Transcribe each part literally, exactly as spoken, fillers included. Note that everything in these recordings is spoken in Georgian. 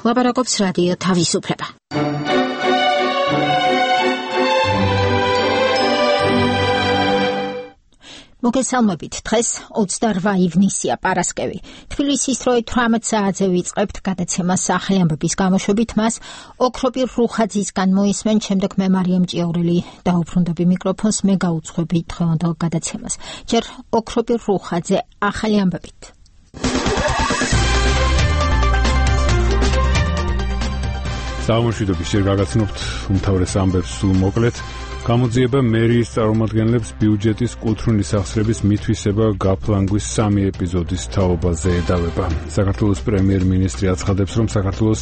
ლაპარაკობს რადიო თავისუფლება. მოგესალმებით, დღეს ოცდაორმა ივნისია, პარასკევი. თბილისის დროით თვრამეტ საათზე ვიწყებთ გადაცემას სახელი ამბების გამოშვებით, მას ოქროპირ რუხაძისგან მოისმენთ, შემდეგ მე მარიამ ჭიაურელი დაუბრუნდები მიკროფონს, მე გაუძღვები დღევანდელ გადაცემას. ჯერ ოქროპირ რუხაძე, ახალი ამბებით. საამოშვიდობის ჯერ გაგაცნობთ უმთავრეს ამბებს სულ მოკლედ. გამოძიება მერიის წარმომადგენლებს ბიუჯეტის კუთვნილი სახსრების მითვისება გაფლანგვის სამი ეპიზოდის თაობაზე ედავება. საქართველოს პრემიერ-მინისტრი აცხადებს, რომ საქართველოს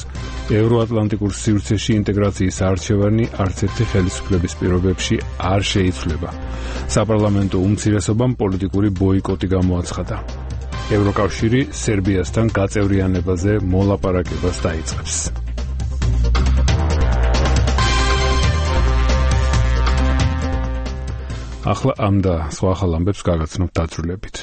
ევროატლანტიკურ სივრცეში ინტეგრაციის არჩევანი არც ერთი ხელისუფლების პირობებში არ შეიცვლება. საპარლამენტო უმცირესობამ პოლიტიკური ბოიკოტი გამოაცხადა. ევროკავშირი სერბიასთან გაწევრიანებაზე მოლაპარაკებას დაიწყებს. ახლა ამ და სხვა ახალ ამბებს გაგაცნობთ დაწვრილებით.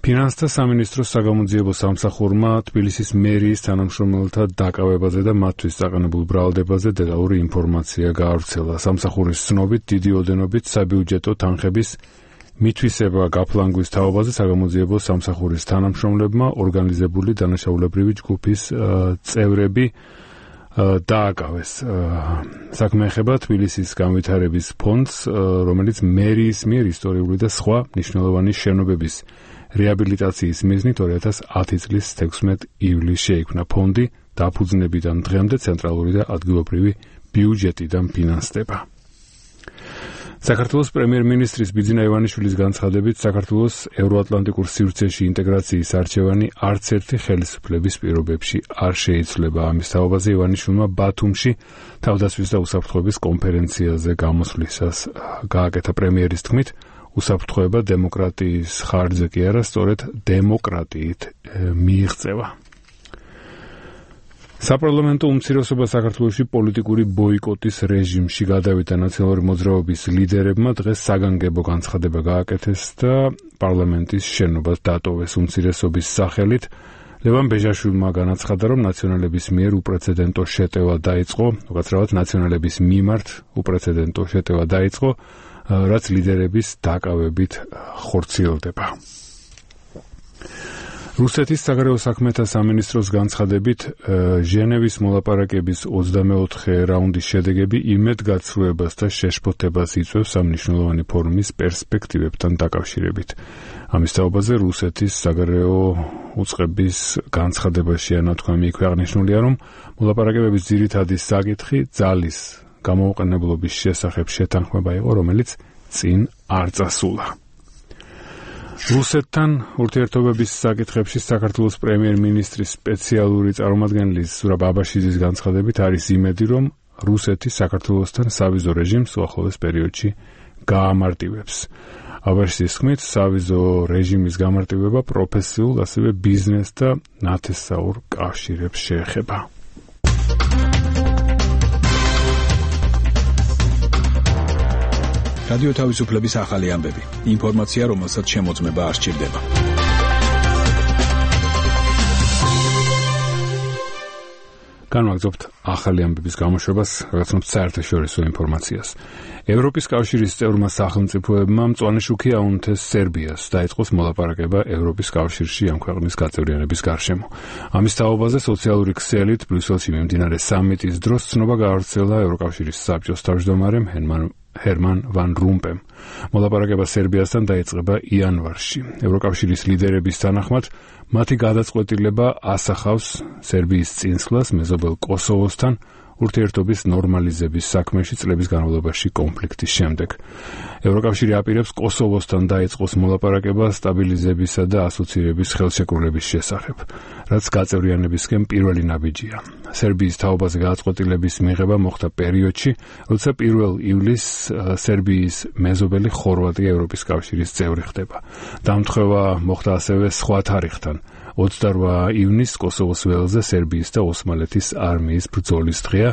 ფინანსთა სამინისტროს საგამოძიებო სამსახურმა თბილისის მერიის თანამშრომელთა დაკავებაზე და მათთვის დაყენებულ ბრალდებაზე დეტალური ინფორმაცია გაავრცელა. სამსახურის ცნობით, დიდი ოდენობით საბიუჯეტო თანხების მითვისება გაფლანგვის თაობაზე საგამოძიებო სამსახურის თანამშრომლებმა ორგანიზებული დანაშაულებრივი ჯგუფის წევრები დააკავეს. საქმე ეხება თბილისის განვითარების ფონდს, რომელიც მერიის მიერ ისტორიული და სხვა მნიშვნელოვანი შენობების რეაბილიტაციის მიზნით ორი ათას ათი წლის თექვსმეტ ივლისს შეიქმნა. ფონდი დაფუძნებიდან დღემდე ცენტრალური და ადგილობრივი ბიუჯეტიდან ფინანსდება. საქართველოს პრემიერ-მინისტრის ბიძინა ივანიშვილის განცხადებით, საქართველოს ევროატლანტიკურ სივრცეში ინტეგრაციის არჩევანი არც ერთი ხელისუფლების პირობებში არ შეიცვლება. ამის თაობაზე ივანიშვილმა ბათუმში თავდასხმის და უსაფრთხოების კონფერენციაზე გამოსვლისას გააკეთა. პრემიერის თქმით, უსაფრთხოება დემოკრატიის ხარჯზე კი არა, სწორედ დემოკრატიით მიიღწევა. საპარლამენტო უმცირესობა საქართველოში პოლიტიკური ბოიკოტის რეჟიმში გადავიდა. ნაციონალური მოძრაობის ლიდერებმა დღეს საგანგებო განცხადება გააკეთეს და პარლამენტის შენობას დატოვეს. უმცირესობის სახელით ლევან ბეჟაშვილმა განაცხადა, რომ ნაციონალების მიერ უპრეცედენტო შეტევა დაიწყო, უკაცრავად ნაციონალების მიმართ უპრეცედენტო შეტევა დაიწყო, რაც ლიდერების დაკავებით ხორციელდება. რუსეთის საგარეო საქმეთა სამინისტროს განცხადებით, ჟენევის მოლაპარაკების ოცდამეოთხე რაუნდის შედეგები იმედგაცრუებას და შეშფოთებას იწვევს სამნიშნულოვანი ფორუმის პერსპექტივებთან დაკავშირებით. ამის თაობაზე რუსეთის საგარეო უწყების განცხადებაში ანათქვამი იქვე აღნიშნულია, რომ მოლაპარაკებების ძირითადი საკითხი ძალის გამოუყენებლობის შესახებ შეთანხმება იყო, რომელიც წინ არ წასულა. რუსეთთან ურთიერთობების საკითხებში საქართველოს პრემიერ-მინისტრის სპეციალური წარმომადგენლის ზურაბ აბაშიძის განცხადებით არის იმედი, რომ რუსეთი საქართველოსთან სავიზო რეჟიმს უახლოეს პერიოდში გაამარტივებს. აბაშიძის თქმით, სავიზო რეჟიმის გამარტივება პროფესიულ, ასევე ბიზნეს და ნათესაურ კავშირებს შეეხება. რადიო თავისუფლების ახალი ამბები. ინფორმაცია, რომელსაც შემოწმება არ სჭირდება. განვაგრძობთ ახალი ამბების გამოშვებას, რაგაცნობთ საერთაშორისო ინფორმაციას. ევროპის კავშირის წევრმა სახელმწიფოებმა მწვანე შუქი აუნთეს სერბიას, დაიწყოს მოლაპარაკება ევროპის კავშირში ამ ქვეყნის გაწევრიანების გარშემო. ამის თაობაზე სოციალური ქსელით ბრიუსელში მიმდინარე სამიტის დროს ცნობა გაავრცელა ევროკავშირის საბჭოს თავმჯდომარემ ჰერმან ჰერმან ვან რუმპემ. მოლაპარაკება სერბიასთან დაიწყება იანვარში. ევროკავშირის ლიდერების თანახმად, მათი გადაწყვეტილება ასახავს სერბიის წინსვლას მეზობელ კოსოვოსთან ურთიერთობის ნორმალიზების საქმეში წლების განმავლობაში კონფლიქტის შემდეგ. ევროკავშირი აპირებს კოსოვოსთან დაიწყოს მოლაპარაკება სტაბილიზებისა და ასოცირების ხელშეკრულების შესახებ, რაც გაწევრიანებისკენ პირველი ნაბიჯია. სერბიის თაობაზე გადაწყვეტილების მიღება მოხდა პერიოდში, როცა პირველ ივლისს სერბიის მეზობელი ხორვატია ევროპის კავშირის წევრი ხდება. დამთხევა მოხდა ასევე სხვა თარიღთან. ოცდაორმა ივნისს კოსოვოს ველზე სერბიის და ოსმალეთის არმიის ბრძოლის დღეა,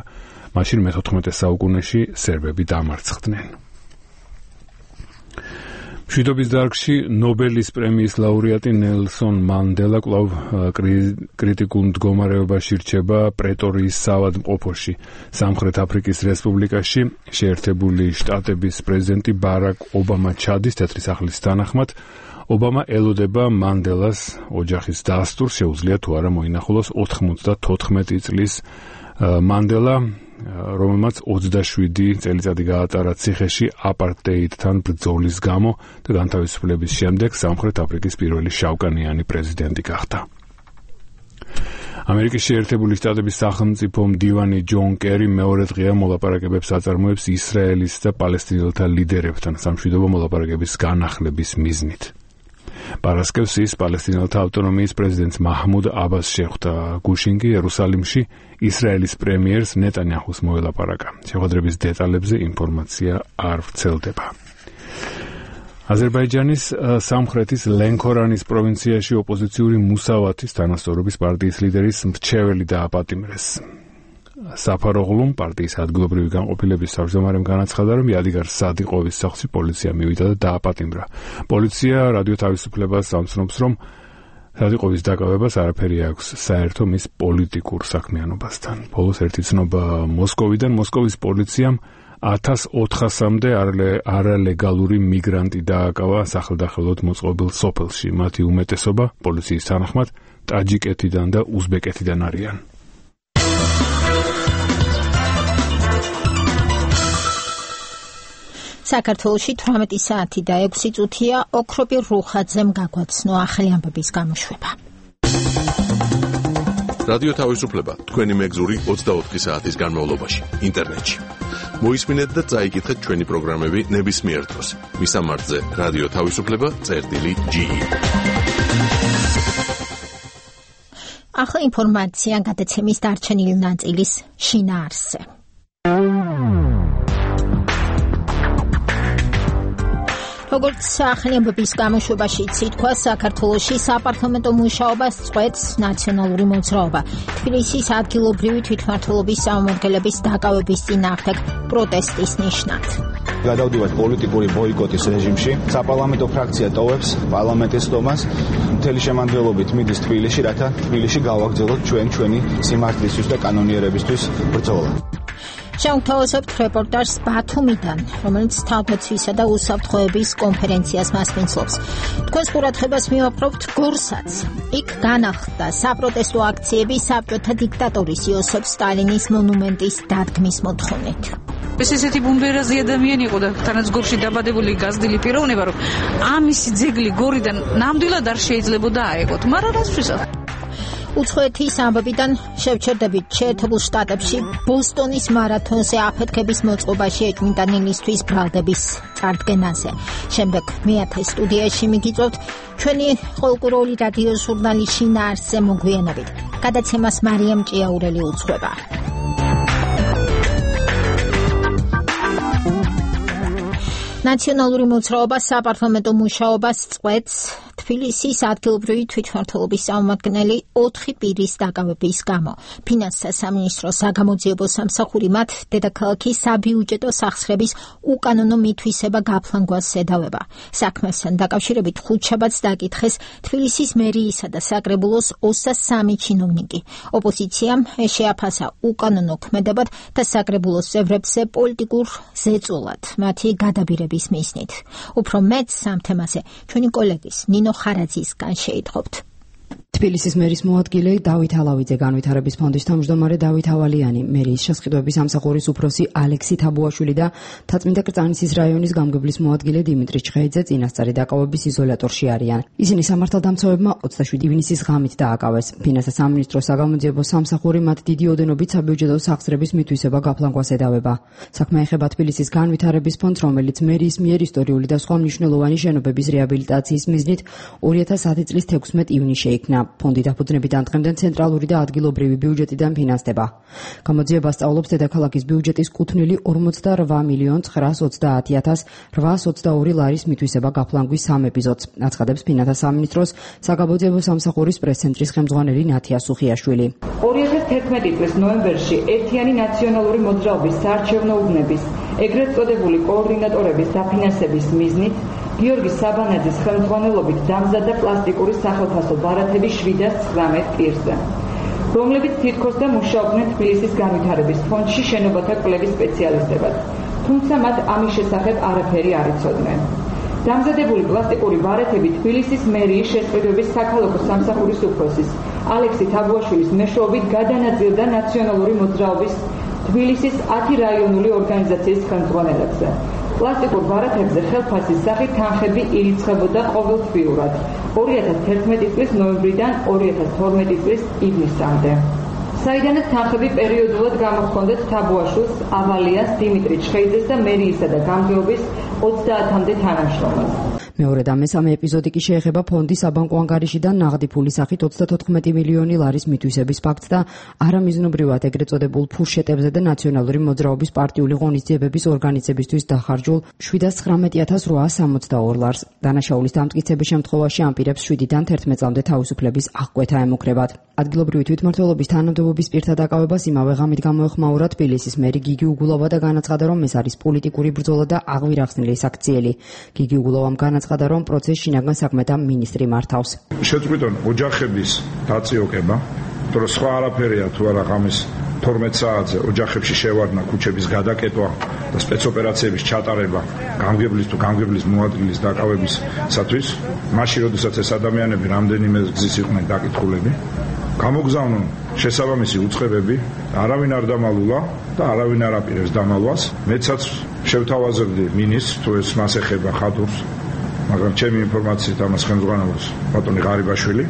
მაშინ მეთოთხმეტე საუკუნეში სერბები დამარცხდნენ. მშვიდობის დარგში ნობელის პრემიის ლაურეატი ნელსონ მანდელა კვლავ კრიტიკულ მდგომარეობაში რჩება პრეტორიის საავადმყოფოში, სამხრეთ აფრიკის რესპუბლიკაში. შეერთებული შტატების პრეზიდენტი ბარაკ ობამა ჩადის თეთრი სახლის თანახმად. ობამა ელოდება მანდელას ოჯახის დასტურს, შეუძლია თუ არა მოინახულოს ოთხმოცდათოთხმეტი წლის მანდელა, რომელმაც ოცდაშვიდი წელიწადი გაატარა ციხეში აპარტეიდთან ბრძოლის გამო და განთავისუფლების შემდეგ სამხრეთ აფრიკის პირველი შავკანიანი პრეზიდენტი გახდა. ამერიკის შეერთებული შტატების სახელმწიფო მდივანი ჯონ კერი მეორე დღეა მოლაპარაკებებს აწარმოებს ისრაელის და პალესტინელთა ლიდერებთან სამშვიდობო მოლაპარაკების განახლების მიზნით. პარასკევს ის პალესტინელთა ავტონომიის პრეზიდენტს მაჰმუდ აბას შეხვდა გუშინგი იერუსალიმში ისრაელის პრემიერს ნეტანიაჰუს მოელაპარაკა. შეხვედრების დეტალებზე ინფორმაცია არ ვრცელდება. აზერბაიჯანის სამხრეთის ლენქორანის პროვინციაში ოპოზიციური მუსავათის თანასწორობის პარტიის ლიდერის მრჩეველი დააპატიმრეს. საფაროღლუმ პარტიის ადგილობრივი განყოფილების თავმჯდომარემ განაცხადა, რომ იადიგარ სადიყოვის სახლში პოლიცია მივიდა და დააპატიმრა. პოლიცია რადიო თავისუფლებას ამცნობს, რომ სადიყოვის დაკავებას არაფერი აქვს საერთო მის პოლიტიკურ საქმიანობასთან. ბოლოს ერთი ცნობა მოსკოვიდან მოსკოვის პოლიციამ ათას ოთხასამდე არალეგალური მიგრანტი დააკავა სახელდახელოდ მოწყობილ სოფელში. მათი უმეტესობა პოლიციის თანახმად ტაჯიკეთიდან და უზბეკეთიდან არიან. საქართველოში თვრამეტი საათი და ექვსი წუთია ოქროპირ რუხაძემ გაგვაცნო ახალი ამბების გამოშვება. რადიო თავისუფლება თქვენი მეგზური ოცდაოთხი საათის განმავლობაში ინტერნეტში. მოისმინეთ და წაიკითხეთ ჩვენი პროგრამები ნებისმიერ დროს. მისამართზე რადიო თავისუფლება წერტილი ჯი. ახლა ინფორმაცია გადაცემის დარჩენილი ნაწილის შინაარსზე. როგორც ახალი ამბების გამოშვებაში ითქვა, საქართველოში საპარლამენტო მუშაობას წყვეტს ნაციონალური მოძრაობა. თბილისის ადგილობრივი თვითმმართველობის წარმომადგენლების დაკავების წინააღმდეგ პროტესტის ნიშნად. გადავდივართ პოლიტიკური ბოიკოტის რეჟიმში. საპარლამენტო ფრაქცია ტოვებს პარლამენტის სტომას. მთელი შემადგენლობით მიდის თბილისში, რათა თბილისში გავაგრძელოთ ჩვენ ჩვენი სიმართლისთვის და კანონიერებისთვის ბრძოლა. შევთავაზებთ რეპორტაჟს ბათუმიდან, რომელიც თავდაცვისა და უსაფრთხოების კონფერენციას მასპინძლობს. თქვენს ყურადღებას მივაპყრობთ გორსაც. იქ განახლდა საპროტესტო აქციები საბჭოთა დიქტატორის იოსებ სტალინის მონუმენტის დადგმის მოთხოვნით. ეს ესეთი ბუნდერაზი ადამიანი იყო და თანაც გორში დაბადებული გაზრდილი პიროვნება, რომ ამისი ძეგლი გორიდან ნამდვილად არ შეიძლებოდა აეგოთ, მაგრამ რასთვისაც უცხოეთის ამბებიდან შევჩერდებით შეერთებულ შტატებში ბოსტონის მარათონზე აფეთქების მოწყობაში ეჭვმიტანილისთვის ბრალდების წარდგენაზე. შემდეგ მეათე სტუდიაში მიგიწევთ ჩვენი ყოლკურული რადიო ჟურნალის შინაარსზე მოგვიანებით. გადაცემას მარიამ ჭიაურელი უძღვება. ნაციონალური მოძრაობა საპარლამენტო მუშაობას წყვეტს თბილისის ადგილობრივი თვითმმართველობის წარმომადგენელი ოთხი პირის დაკავების გამო. ფინანსთა სამინისტროს საგამოძიებო სამსახური მათ დედაქალაქის საბიუჯეტო სახსრების უკანონო მითვისება გაფლანგვას ედავება. საქმესთან დაკავშირებით ხუთშაბათს დაკითხეს თბილისის მერიისა და საკრებულოს ოცდაათი სამი ჩინოვნიკი. ოპოზიციამ შეაფასა უკანონო ქმედებად და საკრებულოს წევრებზე პოლიტიკურ ზეწოლად მათი გადაბირება მისნით. უფრო მეტს ამ თემაზე ჩვენი კოლეგის ნინო ხარაძისგან შეითხოვთ. თბილისის მერის მოადგილე დავით ალავიძე, განვითარების ფონდის თავმჯდომარე დავით ავალიანი, მერის შესყიდვების სამსახურის უფროსი ალექსი თაბუაშვილი და თაწმინდა კრწანისის რაიონის გამგებლის მოადგილე დიმიტრი ჩხეიძე წინასწარი დაკავების იზოლატორში არიან. ისინი სამართალდამცავებმა ოცდაშვიდი ივნისის ღამით დააკავეს. ფინანსთა სამინისტროს საგამოძიებო სამსახური მათ დიდი ოდენობით საბიუჯეტო სახსრების მითვისება გაფლანგვას ედავება. საქმე ეხება თბილისის განვითარების ფონდს, რომელიც მერის მიერ ისტორიული და სხვა მნიშვნელოვანი შენობების რეაბილიტაციის მიზნით ორი ათას ათი წლის თექვსმეტ ივნისში შეიქმნა. ფონდი დაფუძნებიდან დღემდე ცენტრალური და ადგილობრივი ბიუჯეტიდან ფინანსდება. გამოძიება სწავლობს დედაქალაქის ბიუჯეტის კუთვნილი ორმოცდარვა მილიონ ცხრაას ოცდაათი ათას რვაას ოცდაორი ლარის მითვისება გაფლანგვის სამ ეპიზოდს, აცხადებს ფინანსთა სამინისტროს საგამოძიებო სამსახურის პრესცენტრის ხელმძღვანელი ნათია სუხიაშვილი. ორი ათას თერთმეტი წლის ნოემბერში ერთიანი ნაციონალური მოძრაობის საარჩევნო უბნების ეგრეთ წოდებული კოორდინატორების დაფინანსების მიზნით გიორგი საბანაძის ხელმძღვანელობით დამზადდა პლასტიკური სახელფასო ბარათები შვიდას ცხრამეტ პირზე, რომლებიც თითქოს და მუშაობდნენ თბილისის განვითარების ფონდში შენობათა კვლევის სპეციალისტებად, თუმცა მათ ამის შესახებ არაფერი არ იცოდნენ. დამზადებული პლასტიკური ბარათები თბილისის მერიის შესყიდვების საქალაქო სამსახურის უფროსის ალექსი თაბუაშვილის მეშვეობით გადანაწილდა ნაციონალური მოძრაობის თბილისის ათი რაიონული ორგანიზაციის ხელმძღვანელებზე. პლასტიკურ ბარათებზე ხელფასის სახით თანხები ირიცხებოდა ყოველთვიურად ორი ათას თერთმეტი წლის ნოემბრიდან ორი ათას თორმეტი წლის ივნისამდე. საიდანაც თანხები პერიოდულად გამოჰქონდათ თაბუაშვილს, ავალიას, დიმიტრი ჩხეიძეს და მერიისა და გამგეობის ოცდაათამდე თანამშრომელს. მეორე და მესამე ეპიზოდი კი შეეხება ფონდის საბანკო ანგარიშიდან ნაღდი ფულის სახით ოცდათოთხმეტი მილიონი ლარის მითვისების ფაქტს და არამიზნობრივად ეგრეთ წოდებულ ფურშეტებზე და ნაციონალური მოძრაობის პარტიული ღონისძიებების ორგანიზებისთვის დახარჯულ შვიდას ცხრამეტი ათას რვაას სამოცდაორ ლარს. დანაშაულის დამტკიცების შემთხვევაში ამ პირებს შვიდიდან თერთმეტ წლამდე თავისუფლების აღკვეთა ემუქრებათ. ადგილობრივი თვითმმართველობის თანამდებობის პირთა დაკავებას იმავე ღამით გამოეხმაურა თბილისის მერი გიგი უგულოვა და განაცხადა, რომ ეს არის პოლიტიკური ბრძოლა და აღვირახსნილი საქციელი. გიგი უგულოვამ განაცხადა, რომ პროცესს შინაგან საქმეთა მინისტრი მართავს. შეწყვიტონ ოჯახების დაწიოკება, თორე სხვა არაფერია თუ არა ღამის თორმეტ საათზე ოჯახებში შევარდნა, ქუჩების გადაკეტვა და სპეცოპერაციების ჩატარება გამგებლის თუ გამგებლის მოადგილის დაკავებისათვის, მაშინ როდესაც ეს ადამიანები რამდენიმე გზის იყვნენ დაკითხულები, გამოგზავნონ შესაბამისი უწყებები, არავინ არ დამალულა და არავინ არ აპირებს დამალვას. მეცაც შევთავაზებდი მინისტრს, თუ ეს მას ეხება ხატურს, მაგრამ ჩემი ინფორმაციით ამას ხელმძღვანელობს ბატონი ღარიბაშვილი,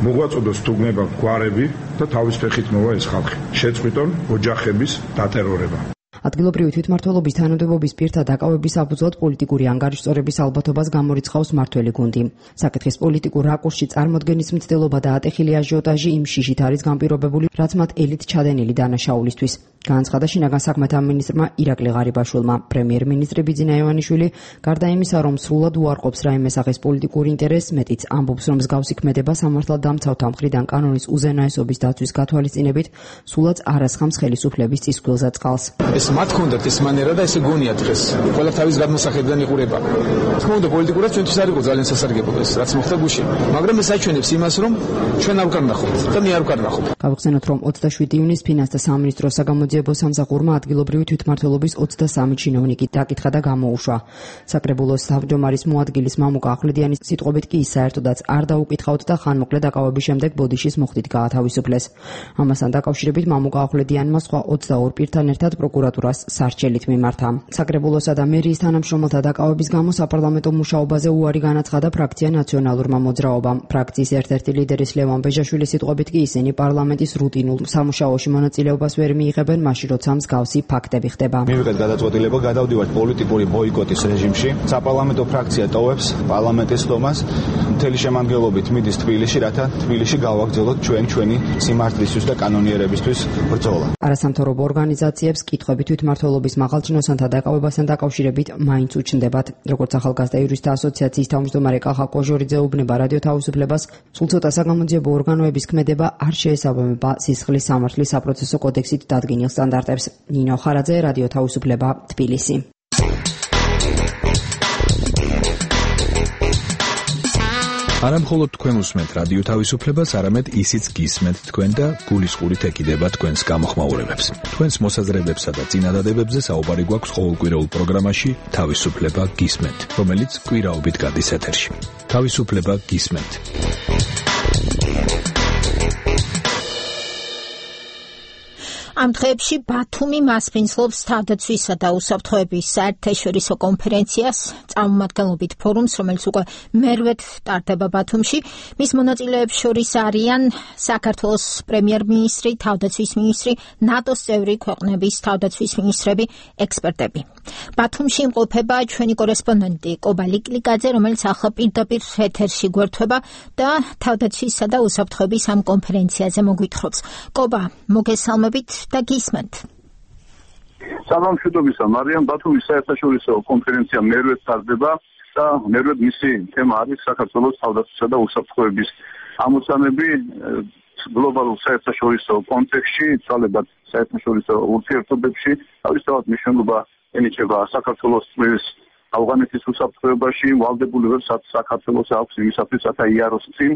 მოგვაწოდოს თუ გნებავთ გვარები და თავის ფეხით მოვა ეს ხალხი. შეწყვიტონ ოჯახების დატერორება. ადგილობრივი თვითმმართველობის თანამდებობის პირთა დაკავების საფუძვლად პოლიტიკური ანგარიშწორების ალბათობას გამორიცხავს მართველი გუნდი. საკითხის პოლიტიკურ რაკურსში წარმოდგენის მცდელობა და ატეხილი აჟიოტაჟი იმ შიშით არის განპირობებული, რაც მათ ელით ჩადენილი დანაშაულისთვის. განაცხადა შინაგან საქმეთა მინისტრმა ირაკლი ღარიბაშვილმა. პრემიერ-მინისტრი ბიძინა ივანიშვილი, გარდა იმისა, რომ სრულად უარყოფს რაიმე სახის პოლიტიკური ინტერესს, მეტიც ამბობს, რომ მსგავსი ქმედება სამართალდამცავთა მხრიდან კანონის უზენაესობის დაცვის გათვალისწინებით სულაც არასხამს ხელისუფლების წისქვილზე წყალს. ეს მათ კონდათ ეს მანერა და ესე გონია დღეს. ყველა თავის გადმოსახედიდან იყურება. თქმა უნდა, პოლიტიკურად ჩვენთვის არ იყო ძალიან სასარგებლო ეს, რაც მოხდა გუშინ. მაგრამ ეს აჩვენებს იმას, რომ ჩვენ არ ვკარნახობთ და მე არ ვკარნახობ. გავხსენოთ, რომ ოცდაშვიდი ივნისს ფინანსთა სამინისტროს საგამოძიებო სამსახურმა ადგილობრივი თვითმმართველობის ოცდასამი ჩინოვნიკი დაკითხა და გამოუშვა. საკრებულოს თავმჯდომარის მოადგილის მამუკა ახვლედიანის სიტყვებით კი ის საერთოდაც არ დაუკითხავთ და ხანმოკლე დაკავების შემდეგ ბოდიშის მოხდით გაათავისუფლეს. ამასთან დაკავშირებით მამუკა ახვლედიანმა სხვა ოცდაორ პირთან ერთად პროკურატურას სარჩელით მიმართა. საკრებულოსა და მერიის თანამშრომელთა დაკავების გამო საპარლამენტო მუშაობაზე უარი განაცხადა ფრაქცია ნაციონალურმა მოძრაობამ. ფრაქციის ერთ-ერთი ლიდერის ლევან ბეჟაშვილის სიტყვებით კი ისინი პარლამენტის რუტინულ სამუშაოში მონაწილეობას ვერ მიიღებენ, მაშინ როცა მსგავსი ფაქტები ხდება. მივიღეთ გადაწყვეტილება, გადავდივართ პოლიტიკური ბოიკოტის რეჟიმში. საპარლამენტო ფრაქცია ტოვებს პარლამენტის სტომას, მთელი შემადგენლობით მიდის თბილისში, რათა თბილისში გავაგრძელოთ ჩვენ ჩვენი სიმართლისთვის და კანონიერებისთვის ბრძოლა. არასამთავრობო ორგანიზაციებს კითხვები თვითმმართველობის მაღალჩინოსანთა დაკავებასთან დაკავშირებით მაინც უჩნდებათ. როგორც ახალგაზრდა იურისტთა ასოციაციის თავმჯდომარე კახა კოჟორიძე უბნება რადიო თავისუფლებას, სულ ცოტა საგამოძიებო ორგანოების ქმედება არ შეესაბამება სისხლის სამართლის საპროცესო კოდექსით დადგენილ სტანდარტებს. ნინო ხარაძე, რადიო თავისუფლება, თბილისი. არა მხოლოდ თქვენ უსმენთ რადიო თავისუფლებას, არამედ ისიც გისმენთ თქვენ და გულისყურით ეკიდება თქვენს გამოხმაურებებს. თქვენს მოსაზრებებსა და წინადადებებზე საუბარი გვაქვს ყოველკვირეულ პროგრამაში თავისუფლება გისმენთ, რომელიც კვირაობით გადის ეთერში. თავისუფლება გისმენთ. ამ დღეებში ბათუმი მასპინძლობს თავდაცვისა და უსაფრთხოების საერთაშორისო კონფერენციას, წარმომადგენლობით ფორუმს, რომელიც უკვე მერვედ ტარდება ბათუმში. მის მონაწილეებს შორის არიან საქართველოს პრემიერ-მინისტრი, თავდაცვის მინისტრი, ნატოს წევრი ქვეყნების თავდაცვის მინისტრები, ექსპერტები. ბათუმში იმყოფება ჩვენი კორესპონდენტი კობა ლიკლიკაძე, რომელიც ახლა პირდაპირ ეთერში გვერდება და თავდაცვისა და უსაფრთხოების ამ კონფერენციაზე მოგვითხრობს. კობა, მოგესალმებით და გისმენთ. სამამშვიდობისა, მარიამ. ბათუმის საერთაშორისო კონფერენცია მერვედ ტარდება და მერვედ მისი თემა არის საქართველოს თავდაცვისა და უსაფრთხოების ამოცანები გლობალურ საერთაშორისო კონტექსტში, ცვალებად საერთაშორისო ურთიერთობებში. თავისთავად მნიშვნელობა ენიჭება საქართველოს ავღანეთის უსაფრთხოებაში ვალდებული ვერ საქართველოს აქვს იმისათვის, რათა იაროს წინ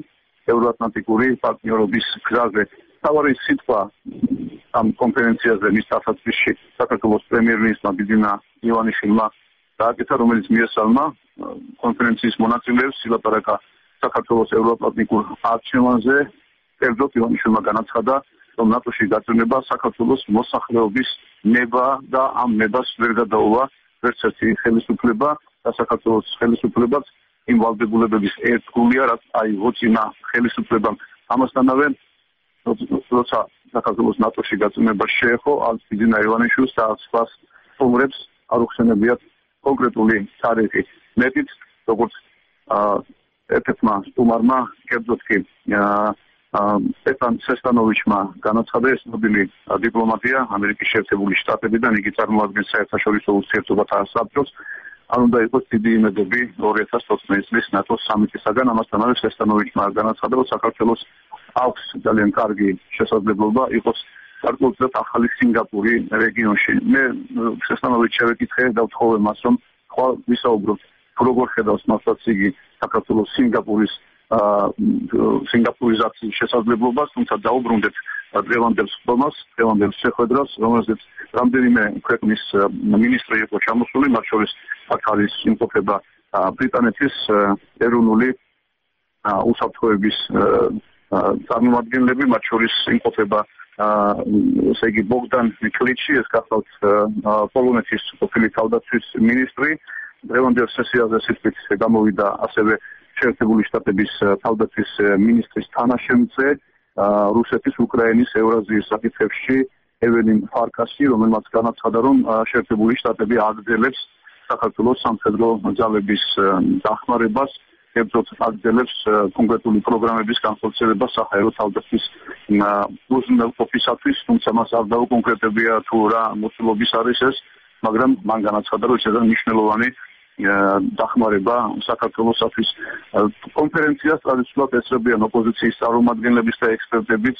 ევროატლანტიკური პარტნიორობის გზაზე. თავარი სიტყვა ამ კონფერენციაზე მის დასაწყისში საქართველოს პრემიერ-მინისტრმა ბიძინა ივანიშვილმა დააკეთა, რომელიც მიესალმა კონფერენციის მონაწილეებს ილაპარაკა საქართველოს ევროატლანტიკურ არჩევანზე. კერძოდ ივანიშვილმა განაცხადა, რომ ნატოში გაწევრება საქართველოს მოსახლეობის ნება და ამ ნებას ვერ გადაუვა ვერც ერთი ხელისუფლება და საქართველოს ხელისუფლებაც იმ ვალდებულებების ერთგულია, რაც აიღო წინა ხელისუფლებამ. ამასთანავე როცა საქართველოს ნატოში გაწევრება შეეხო, ალს ბიძინა ივანიშვილს და სხვა სტუმრებს არ უხსენებიათ კონკრეტული თარიღი. მეტიც, როგორც ერთ-ერთმა სტუმარმა, კერძოდ კი სტეფან სესტანოვიჩმა განაცხადა, ეს ცნობილი დიპლომატია ამერიკის შეერთებული შტატებიდან, იგი წარმოადგენს საერთაშორისო ურთიერთობათა საბჭოს. არ უნდა იყოს დიდი იმედები ორი ათას ოცდაოთხ წლის ნატოს სამიტისაგან. ამასთანავე სესტანოვიჩმა განაცხადა, რომ საქართველოს აქვს ძალიან კარგი შესაძლებლობა იყოს გარკვეულწილად ახალი სინგაპური რეგიონში. მე სესტანოვიჩს შევეკითხე და ვთხოვე მას, რომ ხვალ ვისაუბროთ, როგორ ხედავს მასაც იგი საქართველოს სინგაპურის სინგაპურიზაციის შესაძლებლობას, თუმცა დაუბრუნდეთ დღევანდელ სხდომას, დღევანდელ შეხვედრას, რომელზეც რამდენიმე ქვეყნის მინისტრი იყო ჩამოსული, მათ შორის აქ არის იმყოფება ბრიტანეთის ეროვნული უსაფრთხოების წარმომადგენლები, მათ შორის იმყოფება ესე იგი ბოგდან კლიჩი, ეს გახლავთ პოლონეთის ყოფილი თავდაცვის მინისტრი. დღევანდელ სესიაზე სიტყვით გამოვიდა ასევე შეერთებული შტატების თავდაცვის მინისტრის თანაშემწე რუსეთის, უკრაინის, ევრაზიის საკითხებში ეველინ ფარკასი, რომელმაც განაცხადა, რომ შეერთებული შტატები აგრძელებს საქართველოს სამხედრო ძალების დახმარებას, კერძოდ აგრძელებს კონკრეტული პროგრამების განხორციელებას საჰაერო თავდაცვის უზრუნველყოფისათვის, თუმცა მას არ დაუკონკრეტებია თუ რა მოცულობის არის ეს, მაგრამ მან განაცხადა, რომ ეს არის მნიშვნელოვანი დახმარება საქართველოსთვის. კონფერენციას ტრადიციულად ესწრებიან ოპოზიციის წარმომადგენლებიც და ექსპერტებიც,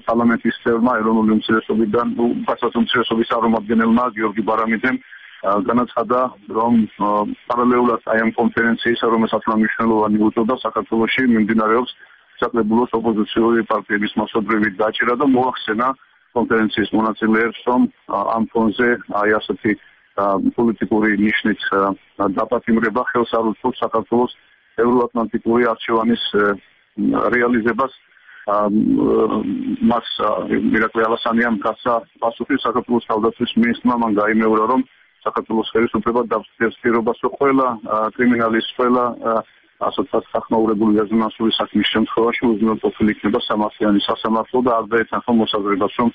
პარლამენტის წევრმა, ეროვნული უმცირესობიდან, პასუხის უმცირესობის წარმომადგენელმა გიორგი ბარამიძემ განაცხადა, რომ პარალელურად აი ამ კონფერენციისა, რომელსაც მნიშვნელოვანი უწოდა საქართველოში, მიმდინარეობს საკრებულოს ოპოზიციური პარტიების მასობრივი დაჭერა და მოახსენა კონფერენციის მონაწილეებს, რომ ამ ფონზე აი ასეთი პოლიტიკური ნიშნით დაპატიმრება ხელს არ უწყობს საქართველოს ევროატლანტიკური არჩევანის რეალიზებას. მას მირაკლი ალასანიამ გასცა პასუხი საქართველოს თავდაცვის მინისტრმა, მან გაიმეორა, რომ საქართველოს ხელისუფლება დავსწრებს პირობას, რომ ყველა კრიმინალის, ყველა ასოციაციად სახმაურებული რეზონანსული საქმის შემთხვევაში უზრუნველყოფილი იქნება სამართლიანი სასამართლო და არ დაეთანხმა მოსაზრებას, რომ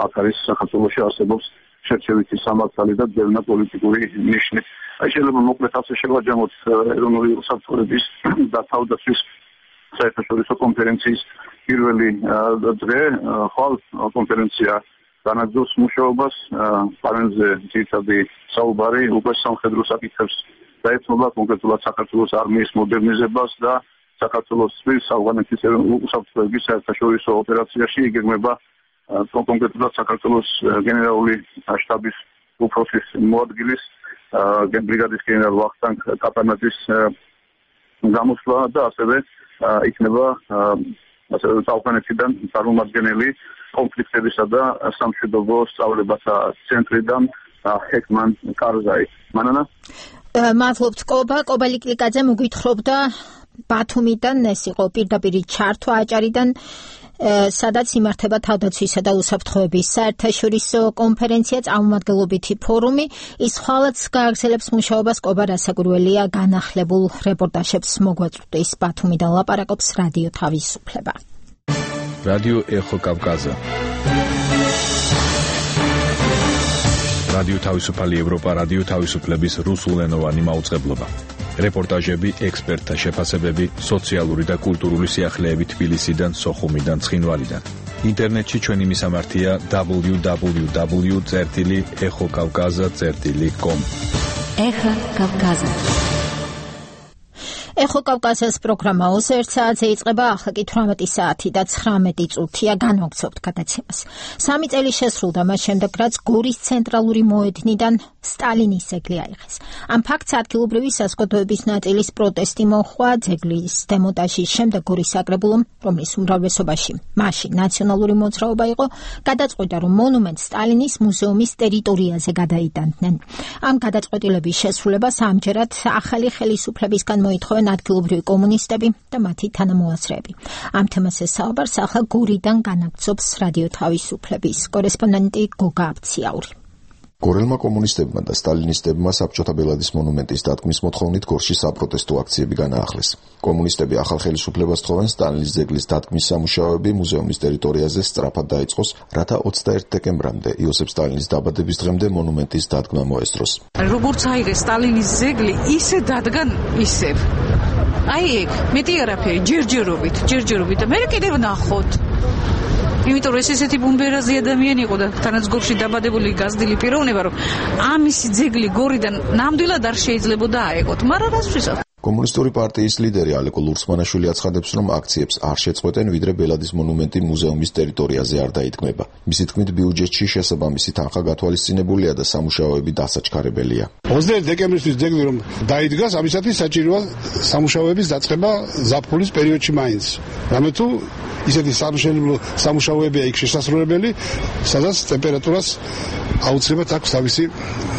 აქ არის საქართველოში არსებობს შერჩევითი სამართალი და ძველი პოლიტიკური ნიშნი. აი შეიძლება მოკლედ ასე შევაჯამოთ ეროვნული უსაფრთხოების და თავდაცვის საერთაშორისო კონფერენციის პირველი დღე. ხვალ კონფერენცია განაგრძობს მუშაობას, პანელზე ძირითადი საუბარი უკვე სამხედრო საკითხებს დაეთმობა, კონკრეტულად საქართველოს არმიის მოდერნიზებას და საქართველოს ავღანეთის უსაფრთხოების საერთაშორისო ოპერაციაში იგეგმება კონკრეტულად საქართველოს გენერალური შტაბის უფროსის მოადგილის ბრიგადის გენერალ ვახტანგ კაპანაძის გამოსვლა და ასევე იქნება ასევე ავღანეთიდან წარმომადგენელი კონფლიქტებისა და სამშვიდობო სწავლებათა ცენტრიდან ჰეკმან კარზაი. მანანა მადლობთ კობა, კობა ლიკლიკაძე მოგვითხრობდა ბათუმიდან, ეს იყო პირდაპირ ჩართვა აჭარიდან, სადაც იმართება თავდაცვისა და უსაფრთხოების საერთაშორისო კონფერენცია, წარმომადგენლობითი ფორუმი. ის ხვალაც გააგრძელებს მუშაობას. კობა რასაგურველია, განახლებულ რეპორტაჟებს მოგვაწვდის ბათუმიდან ლაპარაკობს რადიო თავისუფლება. რადიო ეხო კავკაზა. რადიო თავისუფალი ევროპა, რადიო თავისუფლების რუსულენოვანი მაუწყებლობა. რეპორტაჟები, ექსპერტთა შეფასებები, სოციალური და კულტურული სიახლეები თბილისიდან, სოხუმიდან, ცხინვალიდან. ინტერნეტში ჩვენი მისამართია დაბლიუ დაბლიუ დაბლიუ წერტილი ეხო კავკაზა წერტილი კომ. ეხო კავკაზა. ეხო კავკაზას პროგრამა ოცი ერთ საათზე იწყება, ახლა კი თვრამეტი საათი და ცხრამეტი წუთია. განვაგრძობთ გადაცემას. სამი წელი შესრულდა მას შემდეგ, რაც გორის ცენტრალური მოედნიდან სტალინის ძეგლი აიღეს. ამ ფაქტს ადგილობრივი საზოგადოების ნაწილის პროტესტი მოჰყვა ძეგლის დემონტაჟის შემდეგ გორის საკრებულომ, რომლის უმრავლესობაში მაშინ ნაციონალური მოძრაობა იყო, გადაწყვიტა, რომ მონუმენტს სტალინის მუზეუმის ტერიტორიაზე გადაიტანდნენ. ამ გადაწყვეტილების შესრულებას ამჯერად ახალი ხელისუფლებისგან მოითხოვენ ადგილობრივი კომუნისტები და მათი თანამოაზრეები. ამ თემაზე საუბარს ახლა გორიდან განაგრძობს რადიო თავისუფლების კორესპონდენტი გოგა აბციაური. გორელმა კომუნისტებმა და სტალინისტებმა საბჭოთა ბელადის მონუმენტის დადგმის მოთხოვნით გორში საპროტესტო აქციები განაახლეს. კომუნისტები ახალ ხელისუფლებას თხოვენ სტალინის ძეგლის დადგმის სამუშაოები მუზეუმის ტერიტორიაზე სწრაფად დაიწყოს, რათა ოცდაერთი დეკემბრამდე იოსებ სტალინის დაბადების დღემდე მონუმენტის დადგმა მოესწროს. როგორც აიღეს სტალინის ძეგლი, ისე დადგა ისევ. აი ეგ, მეტი არაფერი, ჯერჯერობით, ჯერჯერობით და მე კიდევ ნახოთ. იმიტომ რომ ეს ესეთი ბუმბერაზი ადამიანი იყო და თანაც გორში დაბადებული გაზრდილი პიროვნება, რომ ამისი ძეგლი გორიდან ნამდვილად არ შეიძლება აეღოთ, მაგრამ რასთვისაც კომუნისტური პარტიის ლიდერი ალეკო ლურცმანაშვილი აცხადებს, რომ აქციებს არ შეწყვეტენ, ვიდრე ბელადის მონუმენტი მუზეუმის ტერიტორიაზე არ დაიტკმება. მისი თქმით, ბიუჯეტში შესაბამისი თანხა გათვალისწინებულია და სამუშაოები დასაჩქარებელია. ოცდაერთი დეკემბრისთვის ძეგლი რომ დაიდგას, ამისათვის საჭიროა სამუშაოების დაწყება ზაფხულის პერიოდში მაინც. რამე თუ ისეთი სამშენებლო სამუშაოებია იქ შესასრულებელი, სადაც ტემპერატურას აუცილებლად აქვს თავისი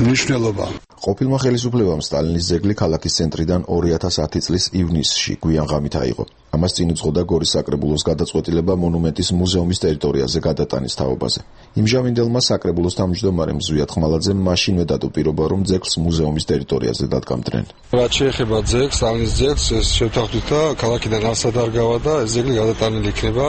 მნიშვნელობა. ყოფილმა ხელისუფლებამ სტალინის ძეგლი ქალაქის ცენტრიდან ორი ათას ათი წლის ივნისში გვიან ღამით აიღო. ამას წინ უძღოდა გორის საკრებულოს გადაწყვეტილება მონუმენტის მუზეუმის ტერიტორიაზე გადატანის თაობაზე. იმჟამინდელმა საკრებულოს თავმჯდომარემ ზვიად ხმალაძემ მაშინვე დადო პირობა, რომ ძეგლს მუზეუმის ტერიტორიაზე დადგამდნენ. რაც შეეხება ძეგლს, სტალინის ძეგლს, ეს შევთანხმდით და ქალაქიდან ასად არ გავა და ეს ძეგლი გადატანილი იქნება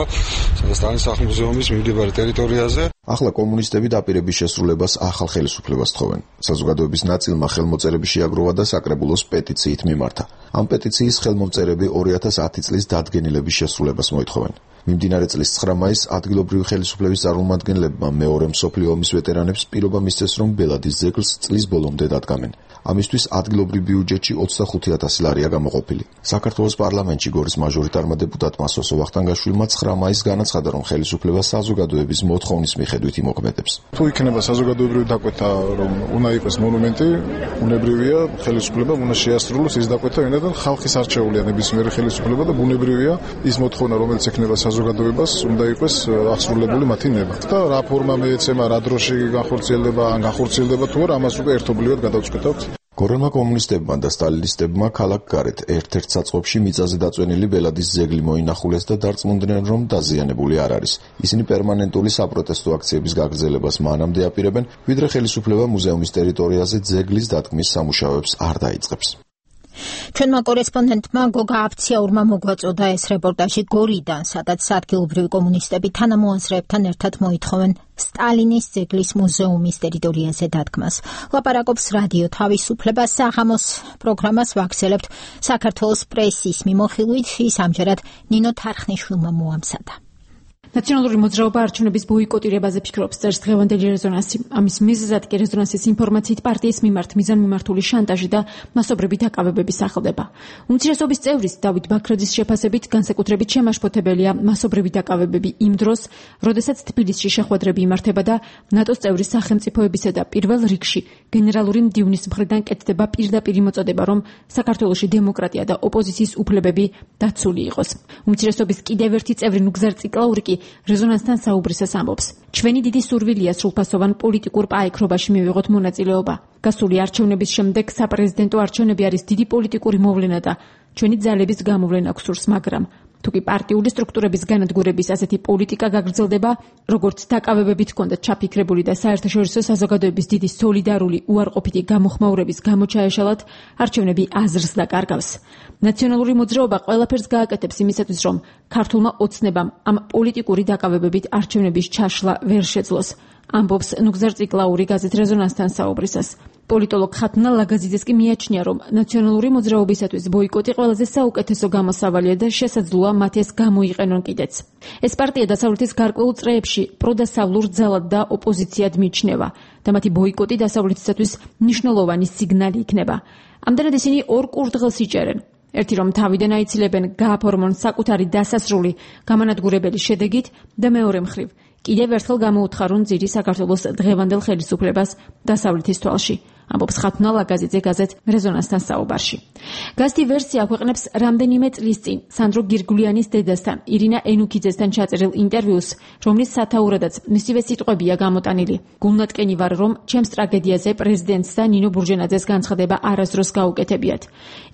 სტალინის სახლ-მუზეუმის მიმდებარე ტერიტორიაზე. ახლა კომუნისტები დაპირების შესრულებას ახალ ხელისუფლებას თხოვენ. საზოგადოების ნაწილმა ხელმოწერები შეაგროვა და საკრებულოს პეტიციით მიმართა. ამ პეტიციის ხელმომწერები ორი ათას ათი წლის დადგენილების შესრულებას მოითხოვენ. მიმდინარე წლის ცხრა მაისს ადგილობრივი ხელისუფლების წარმომადგენლებმა მეორე მსოფლიო ომის ვეტერანებს პირობა მისცეს, რომ ბელადის ძეგლს წლის ბოლომდე დადგამენ. ამისთვის ადგილობრივ ბიუჯეტში ოცდახუთი ათასი ლარია გამოყოფილი. საქართველოს პარლამენტში გორის მაჟორიტარმა დეპუტატმა სოსო ვახტანგაშვილმა ცხრა მაისს განაცხადა, რომ ხელისუფლება საზოგადოების მოთხოვნის მიხედვით იმოქმედებს. თუ იქნება საზოგადოებრივი დაკვეთა, რომ უნდა იყოს მონუმენტი, უნებრივია ხელისუფლება უნდა შეასრულოს ის დაკვეთა, ვინაიდან ხალხის არჩეულია ნებისმიერი ხელისუფლება და ბუნებრივია ის მოთხოვნა, რომელიც ექნება საზოგადოებას, უნდა იყოს აღსრულებული მათი ნება. და რა ფორმა მეეცემა, რა დროში განხორციელდება, ან განხორციელდება თუ არა, ამას უკვე ერთობლივად გადავწყვეტავთ. გორელმა კომუნისტებმა და სტალინისტებმა ქალაქ გარეთ ერთ-ერთ საწყობში მიწაზე დაწვენილი ბელადის ძეგლი მოინახულეს და დარწმუნდნენ, რომ დაზიანებული არ არის. ისინი პერმანენტული საპროტესტო აქციების გაგრძელებას მანამდე აპირებენ, ვიდრე ხელისუფლება მუზეუმის ტერიტორიაზე ძეგლის დადგმის სამუშაოებს არ დაიწყებს. ჩვენმა კორესპონდენტმა გოგა აბციაურმა მოგვაწოდა ეს რეპორტაჟი გორიდან, სადაც ადგილობრივი კომუნისტები თანამოაზრეებთან ერთად მოითხოვენ სტალინის ძეგლის მუზეუმის ტერიტორიაზე დადგმას. ლაპარაკობს რადიო თავისუფლება საღამოს პროგრამას ვაგრძელებთ საქართველოს პრესის მიმოხილვით, ის ამჯერად ნინო თარხნიშვილმა მოამზადა. ნაციონალური მოძრაობა არჩევნების ბოიკოტირებაზე ფიქრობს, წერს დღევანდელი რეზონანსი. ამის მიზეზად კი რეზონანსის ინფორმაციით პარტიის მიმართ მიზანმიმართული შანტაჟი და მასობრივი დაკავებები სახლდება. უმცირესობის წევრის დავით ბაქრაძის შეფასებით განსაკუთრებით შემაშფოთებელია მასობრივი დაკავებები იმ დროს, როდესაც თბილისში შეხვედრები იმართება და ნატოს წევრის სახელმწიფოებისა და პირველ რიგში გენერალური მდივნის მხრიდან კეთდება პირდაპირი მოწოდება, რომ საქართველოში დემოკრატია და ოპოზიციის უფლებები დაცული იყოს. უმცირესობის კიდევ ერთი წევრი ნუგზარ ციკლაური კი რეზონანსთან საუბრისას ამბობს. ჩვენი დიდი სურვილია სრულფასოვან პოლიტიკურ პაექრობაში მივიღოთ მონაწილეობა. გასული არჩევნების შემდეგ საპრეზიდენტო არჩევნები არის დიდი პოლიტიკური მოვლენა და ჩვენი ძალების გამოვლენა გვსურს, მაგრამ თუ კი პარტიული სტრუქტურების განადგურების ასეთი პოლიტიკა გაგრძელდება, როგორც დაკავებებით ჰქონდათ ჩაფიქრებული და საერთაშორისო საზოგადოების დიდი სოლიდარული უარყოფითი გამოხმაურების გამოჩაეშალათ, არჩევნები აზრს დაკარგავს. ნაციონალური მოძრაობა ყველაფერს გააკეთებს იმისათვის, რომ ქართულმა ოცნებამ ამ პოლიტიკური დაკავებებით არჩევნების ჩაშლა ვერ შეძლოს. ამბობს ნუგზარ ციკლაური გაზეთ რეზონანსთან საუბრისას. პოლიტოლოგ ხათუნა ლაგაზიძეს კი მიაჩნია, რომ ნაციონალური მოძრაობისათვის ბოიკოტი ყველაზე საუკეთესო გამოსავალია და შესაძლოა მათ ეს გამოიყენონ კიდეც. ეს პარტია დასავლეთის გარკვეულ წრეებში პროდასავლურ ძალად და ოპოზიციად მიიჩნევა და მათი ბოიკოტი დასავლეთისათვის მნიშვნელოვანი სიგნალი იქნება. ამდენად ისინი ორ კურდღელს იჭერენ. ერთი რომ თავიდან აიცილებენ გააფორმონ საკუთარი დასასრული გამანადგურებელი შედეგით და მეორე მხრივ კიდევ ერთხელ გამოუთხარონ ძირი საქართველოს დღევანდელ ხელისუფლებას დასავლეთის თვალში. ამბობს ხათუნა ლაგაზიძე გაზეთ რეზონანსთან საუბარში. გაზეთი ვერსია აქვეყნებს რამდენიმე წლის წინ სანდრო გირგულიანის დედასთან ირინა ენუქიძესთან ჩაწერილ ინტერვიუს, რომლის სათაურადაც მისივე სიტყვებია გამოტანილი. გულნატკენი ვარ, რომ ჩემს ტრაგედიაზე პრეზიდენტს და ნინო ბურჯენაძეს განცხადება არასდროს გაუკეთებიათ.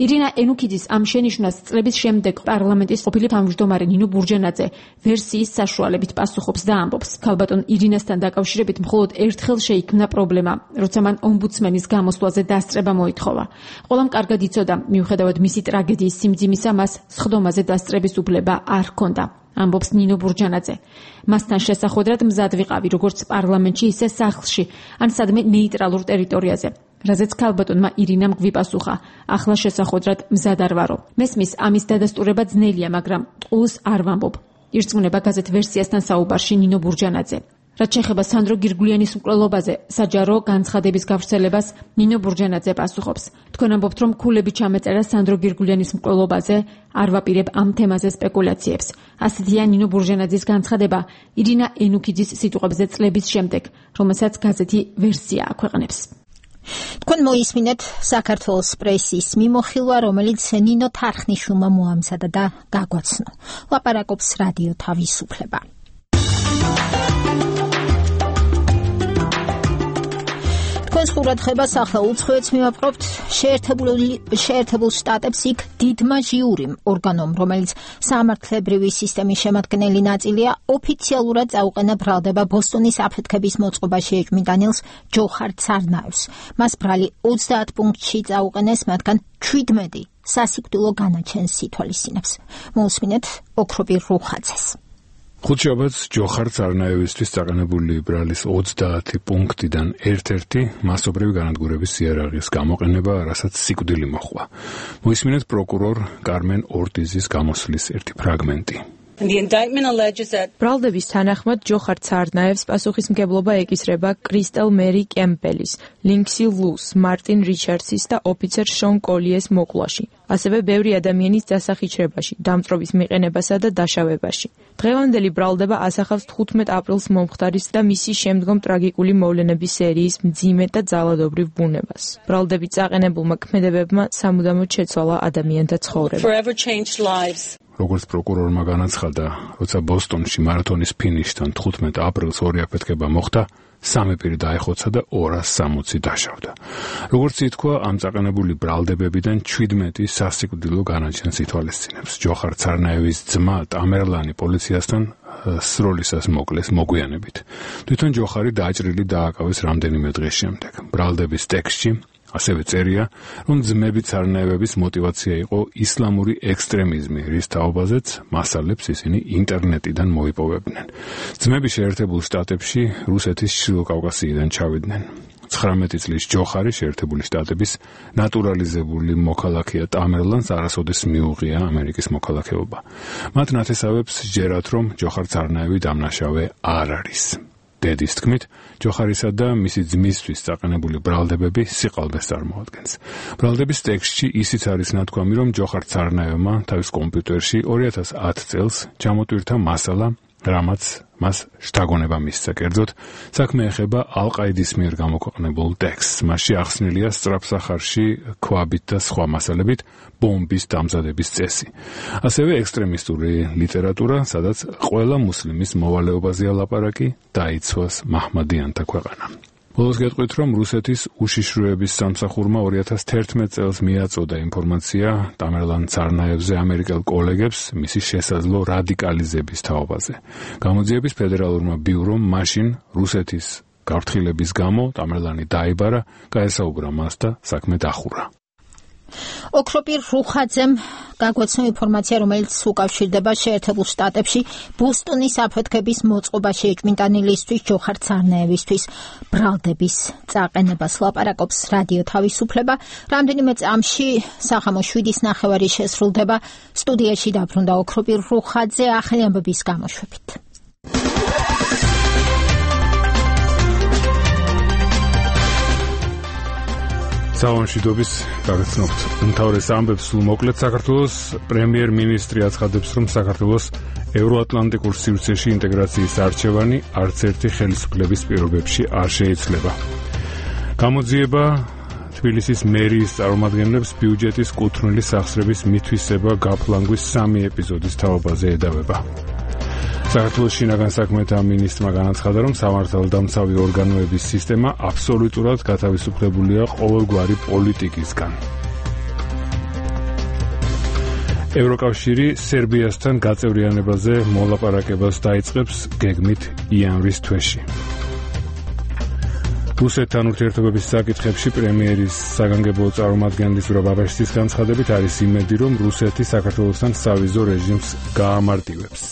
ირინა ენუქიძის ამ შენიშვნას წლების შემდეგ პარლამენტის ყოფილი თავმჯდომარე ნინო ბურჯენაძე ვერსიის საშუალებით პასუხობს და ამბობს, ქალბატონ ირინასთან დაკავშირებით მხოლოდ ერთხელ შეიქმნა პრობლემა, როცა მან ომბუდსმენის გამოსვლაზე დასწრება მოითხოვა. ყველამ კარგად იცოდა, მიუხედავად მისი ტრაგედიის სიმძიმისა, მას სხდომაზე დასწრების უფლება არ ჰქონდა. ამბობს ნინო ბურჯანაძე. მასთან შესახვედრად მზად ვიყავი, როგორც პარლამენტში, ისე სახლში, ან სადმე ნეიტრალურ ტერიტორიაზე. რაზეც ქალბატონმა ირინამ გვიპასუხა, ახლა შესახვედრად მზად არ ვარო. მესმის ამის დადასტურება ძნელია, მაგრამ ტყუილს არ ვამბობ. ირწმუნება გაზეთ ვერსიასთან საუბარში ნინო ბურჯანაძე. რაც შეეხება სანდრო გირგულიანის მკვლელობაზე, საჯარო განცხადების გავრცელებას ნინო ბურჯანაძე პასუხობს. თქვენ ამბობთ, რომ ქულები ჩამეწერა სანდრო გირგულიანის მკვლელობაზე, არ ვაპირებ ამ თემაზე სპეკულაციებს. ასეთია ნინო ბურჯანაძის განცხადება ირინა ენუქიძის სიტყვებზე წლების შემდეგ, რომელსაც გაზეთი ვერსია აქვეყნებს. თქვენ მოისმინეთ საქართველოს პრესის მიმოხილვა, რომელიც ნინო თარხნიშვილმა მოამზადა და გაგვაცნო. ლაპარაკობს რადიო თავისუფლება. თქვენს ყურადღებას ახლა უცხოეთს მივაპყრობთ. შეერთებულ შტატებს იქ დიდმა ჟიურიმ, ორგანომ, რომელიც სამართლებრივი სისტემის შემადგენელი ნაწილია, ოფიციალურად წაუყენა ბრალდება ბოსტონის აფეთქების მოწყობაში ეჭვმიტანილს ჯოხარ ცარნაევს. მას ბრალი ოცდაათ პუნქტში წაუყენეს, მათგან ჩვიდმეტი სასიკვდილო განაჩენს ითვალისწინებს. მოусმინეთ ოქროპირ რუხაძეს. ხუთშაბათს ჯოხარ ცარნაევისთვის წაყენებული ბრალის ოცდაათი პუნქტიდან ერთ-ერთი მასობრივი განადგურების იარაღის გამოყენება, რასაც სიკვდილი მოჰყვა. მოისმინეთ პროკურორ კარმენ ორტიზის გამოსვლის ერთი ფრაგმენტი. ბრალდების თანახმად ჯოხარ ცარნაევს პასუხისმგებლობა ეკისრება კრისტელ მერი კემპელის, ლინქსი ლუს, მარტინ რიჩარდსის და ოფიცერ შონ კოლიეს მოკლაში, ასევე ბევრი ადამიანის დასახიჩრებაში, დამწრობის მიყენებასა და დაშავებაში. დღევანდელი ბრალდება ასახავს თხუთმეტ აპრილს მომხდარის და მისი შემდგომ ტრაგიკული მოვლენების სერიის მძიმე და ძალადობრივ ბუნებას. ბრალდებით წაყენებულმა ქმედებებმა სამუდამოდ შეცვალა ადამიანთა ცხოვრება. როგორც პროკურორმა განაცხადა, როცა ბოსტონში მარათონის ფინიშთან თხუთმეტ აპრილს ორი აფეთქება მოხდა, სამი პირი დაეხოცა და ორას სამოცი დაშავდა. როგორც ითქვა, ამ წაყენებული ბრალდებებიდან ჩვიდმეტი სასიკვდილო განაჩენს ითვალისწინებს. ჯოხარ ცარნაევის ძმა ტამერლანი პოლიციასთან სროლისას მოკლეს მოგვიანებით. თვითონ ჯოხარი დაჭრილი დააკავეს რამდენიმე დღის შემდეგ. ბრალდების ტექსტში ასევე წერია, რომ ძმები ცარნაევების მოტივაცია იყო ისლამური ექსტრემიზმი, რის თაობაზეც მასალებს ისინი ინტერნეტიდან მოიპოვებდნენ. ძმები შეერთებულ შტატებში რუსეთის ჩრდილოკავკასიიდან ჩავიდნენ. ცხრამეტი წლის ჯოხარი შეერთებული შტატების ნატურალიზებული მოქალაქეა ტამერლანს არასოდეს მიუღია ამერიკის მოქალაქეობა. მათ ნათესავებს ჯერათ, რომ ჯოხარ ცარნაევი დამნაშავე არ არის. დედის თქმით, ჯოხარისა და მისი ძმისთვის წაყენებული ბრალდებები სიყალბეს წარმოადგენს. ბრალდების ტექსტში ისიც არის ნათქვამი, რომ ჯოხარ ცარნაევმა თავის კომპიუტერში ორი ათას ათი წელს ჩამოტვირთა მასალა, რამაც მას შთაგონება მისცა. კერძოდ, საქმე ეხება ალ-ყაიდის მიერ გამოქვეყნებულ ტექსტს. მასში ახსნილია სწრაფსახარში ქვაბით და სხვა მასალებით ბომბის დამზადების წესი. ასევე ექსტრემისტური ლიტერატურა, სადაც ყველა მუსლიმის მოვალეობაზეა ლაპარაკი, დაიცვას მაჰმადიანთა ქვეყანა. ბოლოს გეტყვით, რომ რუსეთის უშიშროების სამსახურმა ორი ათას თერთმეტ წელს მიაწოდა ინფორმაცია ტამერლან ცარნაევზე ამერიკელ კოლეგებს მისი შესაძლო რადიკალიზების თაობაზე. გამოძიების ფედერალურმა ბიურომ მაშინ რუსეთის გაფრთხილების გამო ტამერლანი დაიბარა, გაესაუბრა მას და საქმე დახურა. ოქროპირ რუხაძემ გაგვაცნო ინფორმაცია, რომელიც უკავშირდება შეერთებულ შტატებში ბოსტონის აფეთქების მოწყობაში ეჭვმიტანილისთვის ჯოხარ ცარნაევისთვის ბრალდების წაყენებას. ლაპარაკობს რადიო თავისუფლება. რამდენიმე წამში სახამო შვიდის ნახევარი შესრულდება. სტუდიაში დაბრუნდა ოქროპირ რუხაძე ახალი ამბების გამოშვებით. საომშვიდობის გაგაცნობთ უმთავრეს ამბებს. სულ მოკლედ, საქართველოს პრემიერ-მინისტრი აცხადებს, რომ საქართველოს ევროატლანტიკურ სივრცეში ინტეგრაციის არჩევანი არც ერთი ხელისუფლების პირობებში არ შეიცვლება. გამოძიება თბილისის მერიის წარმომადგენლებს ბიუჯეტის კუთვნილი სახსრების მითვისება გაფლანგვის სამი ეპიზოდის თაობაზე ედავება. საქართველოს შინაგან საქმეთა მინისტრმა განაცხადა, რომ სამართალდამცავი ორგანოების სისტემა აბსოლუტურად გათავისუფლებულია ყოველგვარი პოლიტიკისგან. ევროკავშირი სერბიასთან გაწევრიანებაზე მოლაპარაკებას დაიწყებს გეგმით იანვრის თვეში. რუსეთთან ურთიერთობების საკითხებში პრემიერის საგანგებო წარმომადგენლის ბრაბაშტის განცხადებით არის იმედი, რომ რუსეთი საქართველოსთან სავიზო რეჟიმს გაამარტივებს.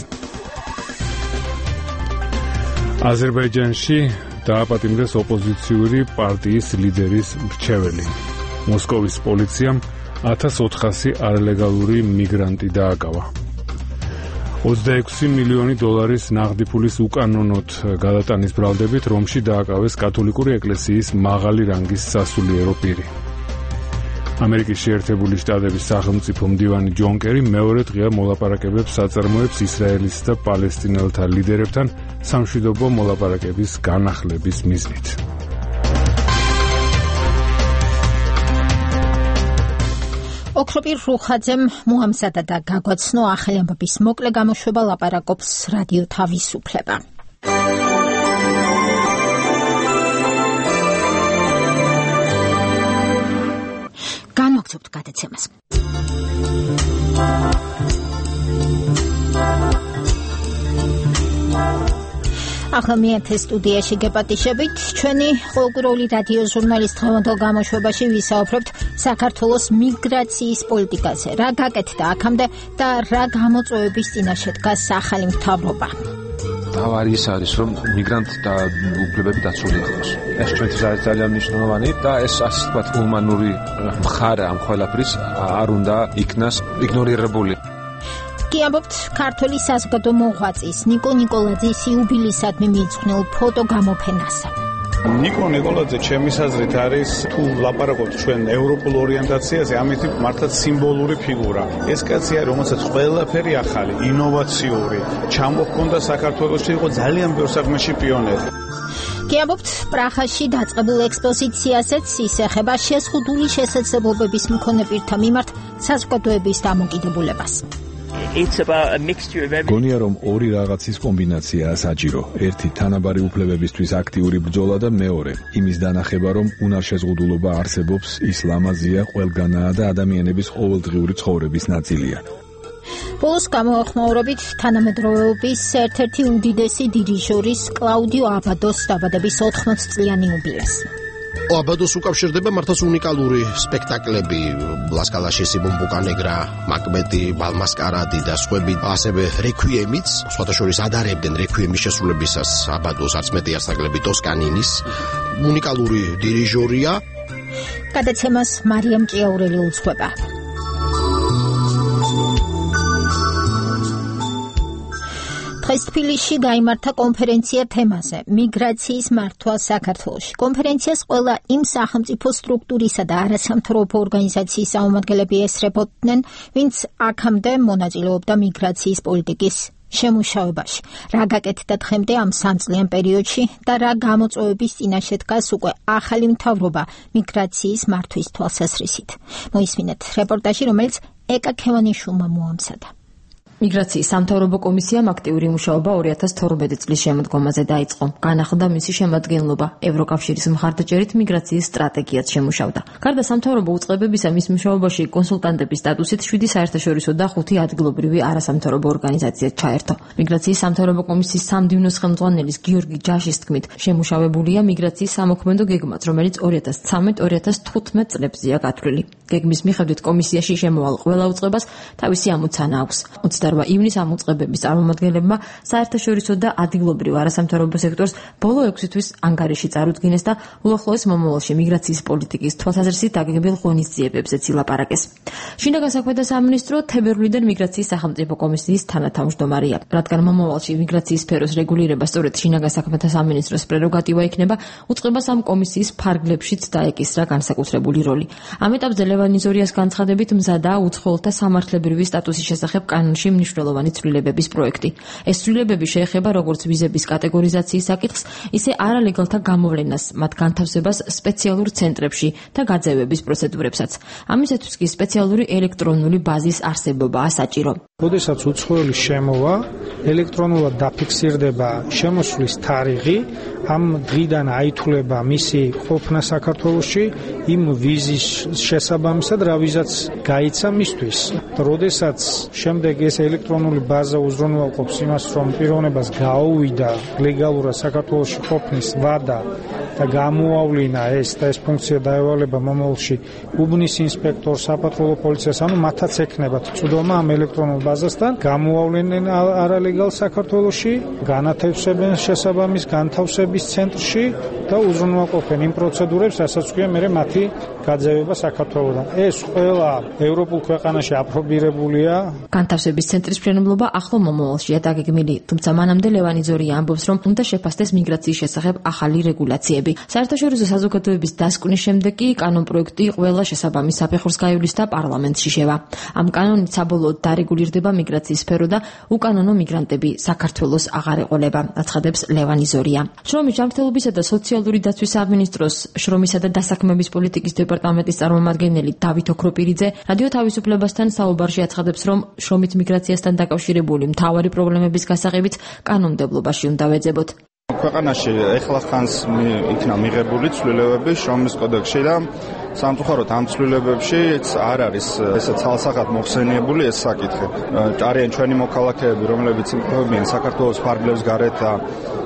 აზერბაიჯანში დააპატიმრეს ოპოზიციური პარტიის ლიდერის მრჩეველი. მოსკოვის პოლიციამ ათას ოთხასი არალეგალური მიგრანტი დააკავა. ოცდაექვსი მილიონი დოლარის ნაღდი ფულის უკანონოდ გადატანის ბრალდებით რომში დააკავეს კათოლიკური ეკლესიის მაღალი რანგის სასულიერო პირი. ამერიკის შეერთებული შტატების სახელმწიფო მდივანი ჯონ კერი მეორე დღეა მოლაპარაკებებს აწარმოებს ისრაელის და პალესტინელთა ლიდერებთან სამშვიდობო მოლაპარაკების განახლების მიზნით. ოქროპირ რუხაძემ მოამზადა და გაგვაცნო ახალი ამბების მოკლე გამოშვება, ლაპარაკობს რადიო თავისუფლება. განვაგრძობთ გადაცემას. ახლა მეათე სტუდიაში გეპატიშებით, ჩვენი ყოველკვირეული რადიო ჟურნალის დღევანდელ გამოშვებაში ვისაუბრებთ საქართველოს მიგრაციის პოლიტიკაზე, რა გაკეთდა აქამდე და რა გამოწვევების წინაშე დგას ახალი მთავრობა. თავარი ის არის, რომ მიგრანტთა უფლებები დაცული იყოს. ეს ჩვენთვის არის ძალიან მნიშვნელოვანი და ეს ასე ვთქვათ, ჰუმანური მხარე ამ ყველაფრის არ უნდა იქნას იგნორირებული. ამბობთ ქართული საზოგადო მოღვაწის ნიკო ნიკოლაძის იუბილეისადმი მიიძღვნილ ფოტო გამოფენასა. ნიკო ნიკოლაძე ჩემის აზრით არის, თუ ლაპარაკობთ ჩვენ ევროპულ ორიენტაციაზე, ამით მართლაც სიმბოლური ფიგურა. ეს კაცი არის, რომელსაც ყველაფერი ახალი, ინოვაციური, ჩამოჰქონდა საქართველოში, იყო ძალიან ბევრ საქმეში პიონერი. კი ამბობთ პრაღაში დაწყებულ ექსპოზიციაზეც ის ეხება შეზღუდული შესაძლებლობების მქონე პირთა მიმართ საზოგადოების დამოკიდებულებას. გონია რომ ორი რაღაცის კომბინაციაა საჭირო. ერთი თანაბარი უფლებებისთვის აქტიური ბრძოლა და მეორე იმის დანახება, რომ უნარშეზღუდულობა არსებობს, ის ლამაზია, ყველგანაა და ადამიანების ყოველდღიური ცხოვრების ნაწილია. ბოლოს გამოახმაურებით თანამედროვეობის ერთ-ერთი უდიდესი დირიჟორის კლაუდიო აბადოს დაბადების ოთხმოცი წლიანი იუბილეი. აბადოს უკავშირდება მართლაც უნიკალური სპექტაკლები, ლასკალაში სიმბომბუკა ნეგრა, მაკბეტი, ბალმასკარადი და სხვები, ასევე რეკვიემიც, სხვათა შორის ადარებდნენ რეკვიემის შესრულებისას აბადოს არც მეტი ასაგლები ტოსკანინის, უნიკალური დირიჟორია. გადაცემას მარიამ ჭიაურელი უძღვება. დღეს თბილისში გაიმართა კონფერენცია თემაზე მიგრაციის მართვა საქართველოში. კონფერენციას ყველა იმ სახელმწიფო სტრუქტურისა და არასამთავრობო ორგანიზაციის წარმომადგენლები ესწრებოდნენ, ვინც აქამდე მონაწილეობდა მიგრაციის პოლიტიკის შემუშავებაში. რა გაკეთდა დღემდე ამ სამწლიან პერიოდში და რა გამოწვევების წინაშე დგას უკვე ახალი მთავრობა მიგრაციის მართვის თვალსაზრისით. მოისმინეთ რეპორტაჟი, რომელიც ეკა ქევანიშვილმა მოამზადა. მიგრაციის სამთავრობო კომისიამ აქტიური მუშაობა ორი ათას თორმეტი წლის შემოდგომაზე დაიწყო. განახლდა მისი შემადგენლობა. ევროკავშირის მხარდაჭერით მიგრაციის სტრატეგიაც შემუშავდა. გარდა სამთავრობო უწყებებისა, მის მუშაობაში კონსულტანტების სტატუსით შვიდი საერთაშორისო და ხუთი ადგილობრივი არასამთავრობო ორგანიზაცია ჩაერთო. მიგრაციის სამთავრობო კომისიის სამდივნოს ხელმძღვანელის გიორგი ჯაშის თქმით, შემუშავებულია მიგრაციის სამოქმედო გეგმაც, რომელიც ორი ათას ცხრამეტ ორი ათას თხუთმეტ წლებზეა გათვლილი. გეგმის მიხედვით კომისიაში შემოვალ ყველა უწყებას თავისი ამოცანა აქვს. ოცდაორი ივნის ამ უწყებების წარმომადგენლებმა საერთაშორისო და ადგილობრივ არასამთავრობო სექტორს ბოლო ექვსი თვის ანგარიში წარუდგინეს და უახლოეს მომავალში მიგრაციის პოლიტიკის თვალსაზრისით დაგეგმილ ღონისძიებებზეც ილაპარაკეს. შინაგან საქმეთა სამინისტრო თებერვლიდან მიგრაციის სახელმწიფო კომისიის თანათავმჯდომარეა. რადგან მომავალში მიგრაციის სფეროს რეგულირება სწორედ შინაგან საქმეთა სამინისტროს პრეროგატივა იქნება, უწყებას ამ კომისიის ფარგლებშიც დაეკისრა განსაკუთრებული როლი. ამ ეტაპზე ლევან იზორიას განცხადებით მზადაა უცხოელთა სამართლებრივი სტატუსის შესახებ კანონში მნიშვნელოვანი ცვლილებების პროექტი. ეს ცვლილებები შეეხება როგორც ვიზების კატეგორიზაციის საკითხს, ისე არალეგალთა გამოვლენას, მათ განთავსებას სპეციალურ ცენტრებში და გაძევების პროცედურებსაც. ამისათვის კი სპეციალური ელექტრონული ბაზის არსებობაა საჭირო. როდესაც უცხოელი შემოვა, ელექტრონულად დაფიქსირდება შემოსვლის თარიღი, ამ დღიდან აითვლება მისი ყოფნა საქართველოში, იმ ვიზის შესაბამისად რა ვიზაც გაიცა მისთვის. როდესაც შემდეგ ეს ელექტრონული ბაზა უზრუნველყოფს იმას, რომ პიროვნებას გაუვიდა ლეგალურად საქართველოში ყოფნის ვადა და გამოავლინა ეს და ეს ფუნქცია დაევალება მომავალში უბნის ინსპექტორს, საპატრულო პოლიციას, ანუ მათაც ექნებათ წვდომა ამ ელექტრონულ ბაზასთან, გამოავლენენ არალეგალ საქართველოში, განათავსებენ შესაბამის განთავსების ცენტრში და უზრუნველყოფენ იმ პროცედურებს, რასაც ქვია მე მათი გაძევება საქართველოდან. ეს ყველა ევროპულ ქვეყანაში აპრობირებულია. განთავსების ცენტრის მშენებლობა ახლო მომავალშია დაგეგმილი, თუმცა მანამდე ლევან იზორია ამბობს, რომ უნდა შეფასდეს მიგრაციის შესახებ ახალი რეგულაციები. საერთაშორისო საზოგადოების დასკვნის შემდეგ კი კანონპროექტი ყველა შესაბამის საფეხურს გაივლის და პარლამენტში შევა. ამ კანონით საბოლოოდ დარეგულირდება მიგრაციის სფერო და უკანონო მიგრანტები საქართველოს აღარ ეყოლება, აცხადებს ლევან იზორია. შრომის ჯანმრთელობისა და სოციალური დაცვის სამინისტროს შრომისა და დასაქმების პოლიტიკის დეპარტამენტის წარმომადგენელი დავით ოქროპირიძე რადიო თავისუფლებასთან საუბარში აცხადებს, რომ შრომით მიგრაციასთან დაკავშირებული მთავარი პრობლემების გასაღებიც კანონმდებლობაში უნდა ვეძებოთ. ქვეყანაში ეხლახანს იქნა მიღებული ცვლილებები შრომის კოდექსში და სამწუხაროდ ამ ცვლილებებში არ არის ესე ცალსახად მოხსენიებული ეს საკითხი. არიან ჩვენი მოქალაქეები, რომლებიც იმყოფებიან საქართველოს ფარგლებს გარეთ და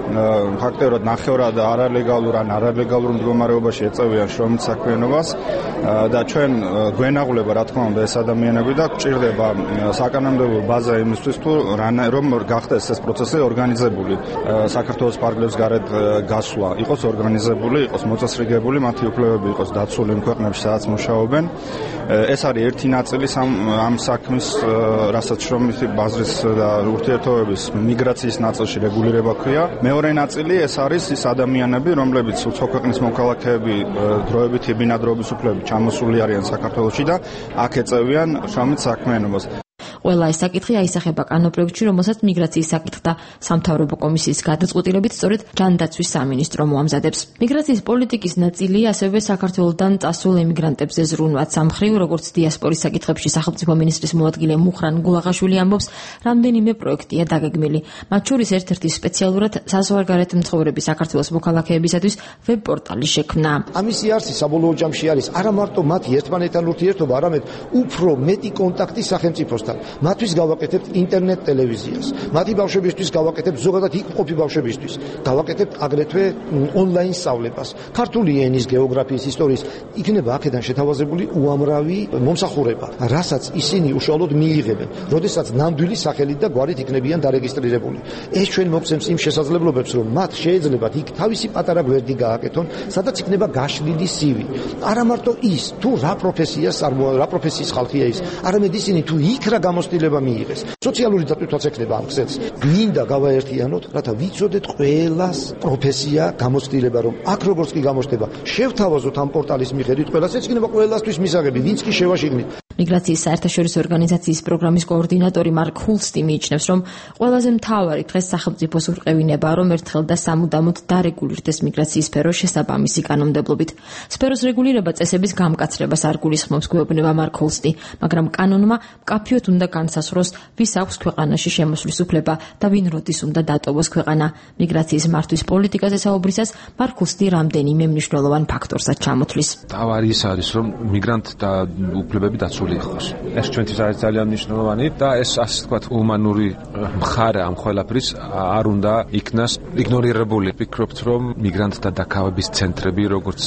ფაქტობრივად ნახევრად არალეგალურ ან არალეგალურ მდგომარეობაში ეწევიან შრომით საქმიანობას და ჩვენ გვენაღვლება რა თქმა უნდა ეს ადამიანები და გვჭირდება საკანონმდებლო ბაზა იმისთვის თუ რომ გახდეს ეს პროცესი ორგანიზებული საქართველოს ფარგლებს გარეთ გასვლა იყოს ორგანიზებული, იყოს მოწესრიგებული, მათი უფლებები იყოს დაცული იმ ქვეყნებში სადაც მუშაობენ. ეს არის ერთი ნაწილი ამ საქმის, რასაც შრომითი ბაზრის და ურთიერთობების მიგრაციის ნაწილში რეგულირება ქვია. მეორე ნაწილი ეს არის ის ადამიანები, რომლებიც უცხო ქვეყნის მოქალაქეები დროებითი ბინადრობის უფლებებით ჩამოსული არიან საქართველოში და აქ ეწევიან შრომით საქმიანობას. ყველა ეს საკითხი აისახება კანონპროექტში, რომელსაც მიგრაციის საკითხთა სამთავრობო კომისიის გადაწყვეტილებით სწორედ ჯანდაცვის სამინისტრო მოამზადებს. მიგრაციის პოლიტიკის ნაწილია ასევე საქართველოდან წასულ ემიგრანტებზე ზრუნვაც. სამხრივ, როგორც დიასპორის საკითხებში სახელმწიფო მინისტრის მოადგილე მუხრან გულაღაშვილი ამბობს, რამდენიმე პროექტია დაგეგმილი. მათ შორის ერთ-ერთი სპეციალურად საზღვარგარეთ მცხოვრები საქართველოს მოქალაქეებისათვის ვებ-პორტალი შექმნა. ამისი არსი საბოლოო ჯამში არის არა მარტო მათი ერთმანეთთან ურთიერთობა, არამედ უფრო მეტი კონტაქტი სახელმწიფოსთან. მათთვის გავაკეთებთ ინტერნეტ ტელევიზიას. მათი ბავშვებისთვის გავაკეთებთ ზოგადად იქ მყოფი ბავშვებისთვის. გავაკეთებთ აგრეთვე ონლაინ სწავლებას. ქართული ენის, გეოგრაფიის, ისტორიის იქნება აქედან შეთავაზებული უამრავი მომსახურება, რასაც ისინი უშუალოდ მიიღებენ, როდესაც ნამდვილი სახელით და გვარით იქნებიან დარეგისტრირებული. ეს ჩვენ მოგცემს იმ შესაძლებლობებს, რომ მათ შეეძლებათ იქ თავისი პატარა გვერდი გააკეთონ, სადაც იქნება გაშლილი სივი. არა მარტო ის, თუ რა პროფესიას რა პროფესიის ხალხია ის, არამედ ისინი თუ იქ რა გამოცდილება მიიღეს. სოციალური დატვირთვაც ექნება ამ ქსელს. მინდა გავაერთიანოთ, რათა ვიცოდეთ ყველას პროფესია, გამოცდილება, რომ აქ როგორც კი გამოჩნდება, შევთავაზოთ ამ პორტალის მიხედვით ყველას, ეს იქნება ყველასთვის მისაღები, ვინც კი შევაშიგნით. მიგრაციის საერთაშორისო ორგანიზაციის პროგრამის კოორდინატორი მარკ ჰულსტი მიიჩნევს, რომ ყველაზე მთავარი დღეს სახელმწიფოს ურყევინებაა, რომ ერთხელ და სამუდამოდ დარეგულირდეს მიგრაციის სფერო შესაბამისი კანონმდებლობით. სფეროს რეგულირება წესების გამკაცრებას არ გულისხმობს, გვეუბნება მარკ ჰულსტი, მაგრამ კანონმა მკაფიოდ უნდა განსაზღვროს, ვის აქვს ქვეყანაში შემოსვლის უფლება და ვინ როდის უნდა დატოვოს ქვეყანა. მიგრაციის მართვის პოლიტიკაზე საუბრისას მარკ ჰულსტი რამდენიმე მნიშვნელოვან ფაქტორსაც ჩამოთვლის. თავარი ის არის, რომ მიგრანტთა უფლებები დაცული იყოს. ეს ჩვენთვის არის ძალიან მნიშვნელოვანი და ეს ასე ვთქვათ ჰუმანური მხარე ამ ყველაფრის არ უნდა იქნას იგნორირებული. ვფიქრობთ, რომ მიგრანტთა დაკავების ცენტრები, როგორც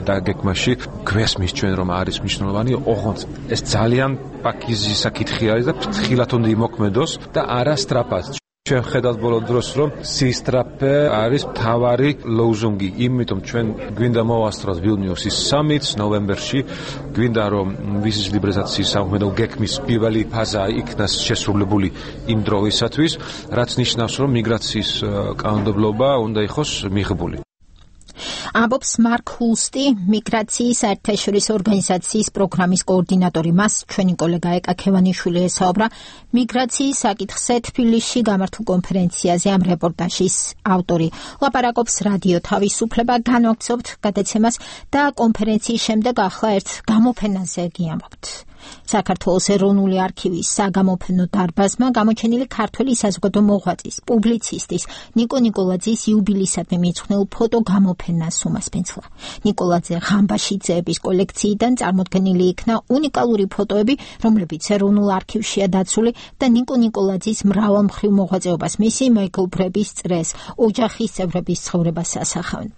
დაგეგმაში, გვესმის ჩვენ რომ არის მნიშვნელოვანი, ოღონდ ეს ძალიან პაკიზი საკითხი არის და ფრთხილად უნდა იმოქმედოს და არა სწრაფად. ჩვენ ხედავთ ბოლო დროს, რომ სისტრაფე არის მთავარი ლოზუნგი, იმიტომ ჩვენ გვინდა მოვასწროთ ვილნიუსის სამიტს ნოემბერში, გვინდა რომ ვიზის ლიბერალიზაციის საქმედო გეგმის პირველი ფაზა იქნას შესრულებული იმ დროისათვის, რაც ნიშნავს, რომ მიგრაციის კანონმდებლობა უნდა იყოს მიღებული. ამბობს მარკ ჰულსტი, მიგრაციის საერთაშორისო ორგანიზაციის პროგრამის კოორდინატორი. მას ჩვენი კოლეგა ეკა ქევანიშვილი ესაუბრა მიგრაციის საკითხზე თბილისში გამართულ კონფერენციაზე. ამ რეპორტაჟის ავტორი ლაპარაკობს რადიო თავისუფლება, განვაგრძობთ გადაცემას და კონფერენციის შემდეგ ახლა ერთ გამოფენაზე გიამბობთ. საქართველოს ეროვნული არქივის საგამოფენო დარბაზმა გამოჩენილი ქართველი საზოგადო მოღვაწის, პუბლიცისტის ნიკო ნიკოლაძის იუბილეისადმი მიძღვნილ ფოტო გამოფენას უმასპინძლა. ნიკოლაძე ღამბაშიძეების კოლექციიდან წარმოდგენილი იქნა უნიკალური ფოტოები, რომლებიც ეროვნულ არქივშია დაცული და ნიკო ნიკოლაძის მრავალმხრივ მოღვაწეობას, მისი მეგობრების წრეს, ოჯახის წევრების ცხოვრებას ასახავენ.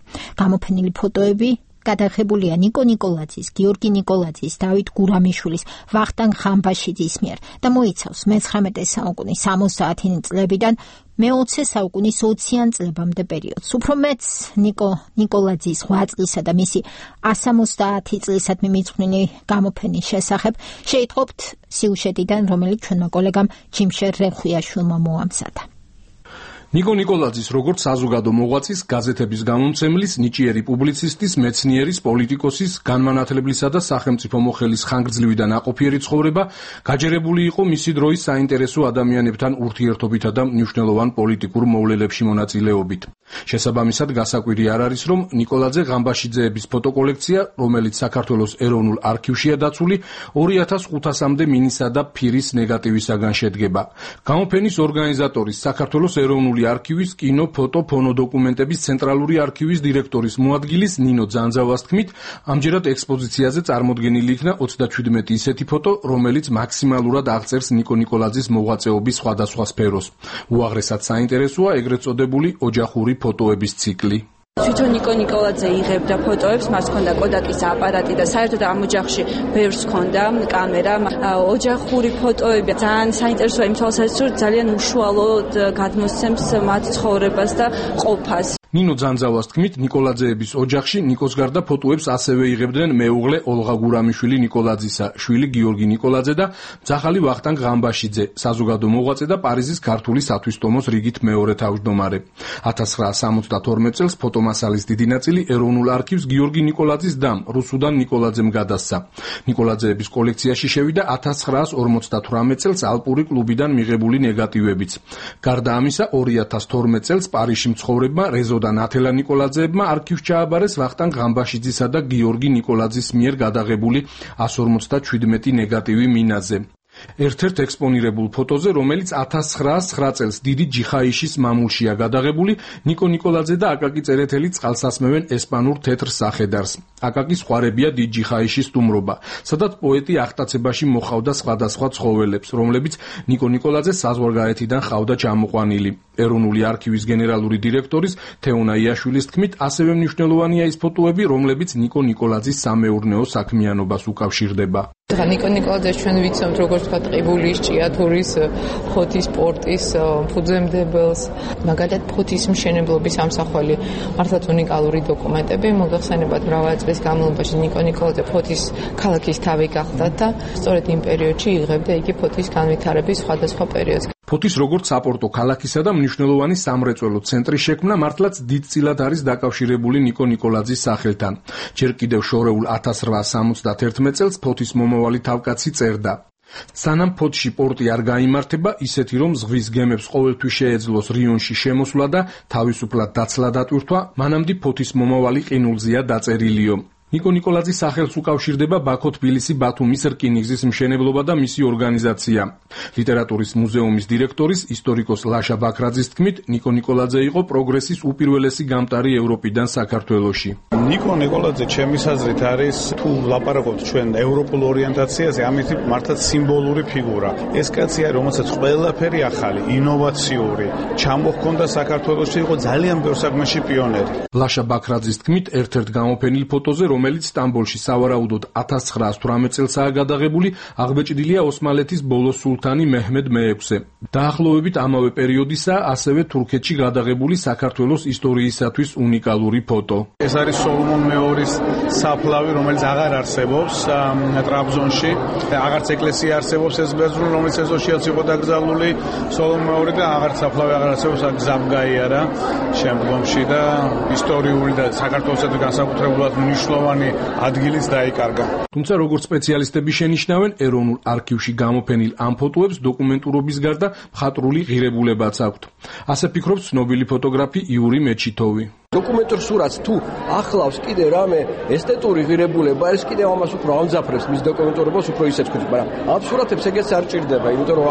გამოფენილი ფოტოები გადაღებულია ნიკო ნიკოლაძის, გიორგი ნიკოლაძის, დავით გურამიშვილის, ვახტანგ ღამბაშიძის მიერ და მოიცავს მეცხრამეტე საუკუნის სამოცდაათი წლებიდან მეოცე საუკუნის ოციან წლებამდე პერიოდს. უფრო მეც ნიკო ნიკოლაძის ოცი წლისა და მისი სამოცდაათი წლისადმი მიძღვნილი გამოფენის შესახებ შეიტყობთ სიუჟეტიდან, რომელიც ჩვენმა კოლეგამ ჯიმშერ რეხვიაშვილმა მოამზადა. ნიკო ნიკოლაძის როგორც საზოგადო მოღვაწის, გაზეთების გამომცემლის, ნიჭიერი პუბლიცისტის, მეცნიერის, პოლიტიკოსის, განმანათლებლისა და სახელმწიფო მოხელის ხანგრძლივი და ნაყოფიერი ცხოვრება გაჯერებული იყო მისი დროის საინტერესო ადამიანებთან ურთიერთობითა და მნიშვნელოვან პოლიტიკურ მოვლენებში მონაწილეობით. შესაბამისად, გასაკვირი არ არის, რომ ნიკოლაძე ღამბაშიძეების ფოტოკოლექცია, რომელიც საქართველოს ეროვნულ არქივშია დაცული, ორი ათას ხუთასამდე მინისა და ფირის ნეგატივისაგან შედგება. გამოფენის ორგანიზატორის საქართველოს ეროვნული არქივის კინო, ფოტო, ფონოდოკუმენტების ცენტრალური არქივის დირექტორის მოადგილის ნინო ძანძავას თქმით, ამჯერად ექსპოზიციაზე წარმოდგენილი იქნა ოცდაჩვიდმეტი ისეთი ფოტო, რომელიც მაქსიმალურად აღწერს ნიკო ნიკოლაძის მოღვაწეობის სხვადასხვა სფეროს. უაღრესად საინტერესოა ეგრეთ წოდებული ოჯახური ფოტოების ციკლი. თვითონ ნიკო ნიკოლაძე იღებდა ფოტოებს, მას ჰქონდა კოდაკის აპარატი და საერთოდ ამ ოჯახში ბევრს ჰქონდა კამერა. ოჯახური ფოტოები ძალიან საინტერესოა იმ თვალსაზრისით, რომ ძალიან უშუალოდ გადმოსცემს მათ ცხოვრებას და ყოფას. ნინო ძანძავას თქმით, ნიკოლაძეების ოჯახში ნიკოს გარდა ფოტოებს ასევე იღებდნენ მეუღლე ოლღა გურამიშვილი ნიკოლაძისა, შვილი გიორგი ნიკოლაძე და ძაღალი ვახტანგ ღამბაშიძე, საზოგადო მოღვაწე და პარიზის ქართული სათვისტომოს რიგით მეორე თავმჯდომარე. ათას ცხრაასა სამოცდათორმეტ წელს ფოტომასალის დიდი ნაწილი ეროვნულ არქივს გიორგი ნიკოლაძის დამ, რუსუდან ნიკოლაძემ გადასცა. ნიკოლაძეების კოლექციაში შევიდა ათას ცხრაასა ორმოცდათვრამეტ წელს ალპური კლუბიდან მიღებული ნეგატივებიც. გარდა ამისა, ორი ათას თორმეტ წელს პარიზში მცხოვრებმა რეზო და ნათელა ნიკოლაძეებმა არქივს ჩააბარეს ვახტანგ ღამბაშიძისა და გიორგი ნიკოლაძის მიერ გადაღებული εκατს ორმოცდაჩვიდმეტი ნეგატივი მინაზე. ერთ-ერთ ექსპონირებულ ფოტოზე, რომელიც ათას ცხრაასა ცხრა წელს დიდი ჯიხაიშის მამულშია გადაღებული, ნიკო ნიკოლაძე და აკაკი წერეთელი წყალსასმევენ ესპანურ თეთრ სახედარს. აკაკის ხვარებია დიდ ჯიხაიშის სტუმრობა, სადაც პოეტი აღტაცებაში მოხავდა სხვადასხვა ცხოველებს, რომლებიც ნიკო ნიკოლაძეს საზღვარგარეთიდან ჰყავდა ჩამოყვანილი. ეროვნული არქივის გენერალური დირექტორის თეონა იაშვილის თქმით, ასევე მნიშვნელოვანია ის ფოტოები, რომლებიც ნიკო ნიკოლაძის სამეურნეო საქმიანობას უკავშირდება. დღა ნიკო ნიკოლაძეს ჩვენ ვიცნობთ როგორც თქვა ტყიბულის, ჭიათურის, ფოთის პორტის ფუძემდებელს, მაგალითად ფოთის მშენებლობის ამსახველი, მართლაც უნიკალური დოკუმენტები. მოგეხსენებათ, მრავალი წლის განმავლობაში ნიკო ნიკოლაძე ფოთის ქალაქის თავი გახდა და სწორედ იმ პერიოდში იღებდა იგი ფოთის განვითარების სხვადასხვა პერიოდს. ფოთის როგორც საპორტო ქალაქისა და მნიშვნელოვანი სამრეწველო ცენტრის შექმნა მართლაც დიდწილად არის დაკავშირებული ნიკო ნიკოლაძის სახელთან. ჯერ კიდევ შორეულ ათას რვაასა სამოცდათერთმეტ წელს ფოთის მომავალი თავკაცი წერდა: სანამ ფოთში პორტი არ გაიმართება, ისეთი რომ ზღვის გემებს ყოველთვის შეეძლოს რიონში შემოსვლა და თავისუფლად დაცლა დატვირთვა, მანამდე ფოთის მომავალი ყინულზეა დაწერილიო. ნიკო ნიკოლაძის სახელს უკავშირდება ბაქო-თბილისი-ბათუმის რკინიგზის მშენებლობა და მისი ორგანიზაცია. ლიტერატურის მუზეუმის დირექტორის ისტორიკოს ლაშა ბაქრაძის თქმით, ნიკო ნიკოლაძე იყო პროგრესის უპირველესი გამტარი ევროპიდან საქართველოში. ნიკო ნიკოლაძე ჩემის აზრით არის, თუ ლაპარაკობთ ჩვენ ევროპულ ორიენტაციაზე, ამით მართლაც სიმბოლური ფიგურა. ეს კაცია, რომელსაც ყველაფერი ახალი, ინოვაციური, ჩამოჰქონდა საქართველოში, იყო ძალიან ბევრ საქმეში პიონერი. ლაშა ბაქრაძის თქმით, ერთ-ერთ გამოფენილ ფოტოზე, რომელიც რომელიც სტამბოლში სავარაუდოდ ათას ცხრაას თვრამეტ წელსაა გადაღებული, აღბეჭდილია ოსმალეთის ბოლო სულთანი მეჰმედ მეექვსე. დაახლოებით ამავე პერიოდისა ასევე თურქეთში გადაღებული საქართველოს ისტორიისათვის უნიკალური ფოტო. ეს არის სოლომონ მეორის საფლავი, რომელიც აღარ არსებობს ტრაბზონში. აღარც ეკლესია არსებობს ეს ბერძნული, რომელიც ეზოშიაც იყო დაკრძალული სოლომონ მეორე და აღარც საფლავი აღარ არსებობს, გზამ გაიარა შემდგომში და ისტორიული და საქართველოსთვის განსაკუთრებულად მნიშვნელოვანი ადგილიც დაიკარგა. თუმცა როგორც სპეციალისტები შენიშნავენ, ეროვნულ არქივში გამოფენილ ამ ფოტოებს დოკუმენტურობის გარდა მხატვრული ღირებულებაც აქვთ. ასე ფიქრობს ცნობილი ფოტოგრაფი იური მეჩითოვი. დოკუმენტურ სურათს თუ ახლავს კიდე რამე ესთეტური ღირებულება, ეს კიდევ ამას უფრო ამძაფრებს მის დოკუმენტურობას უფრო ისეც ხდება, მაგრამ ამ სურათებს ეგეც არ ჭირდება, იმიტომ რომ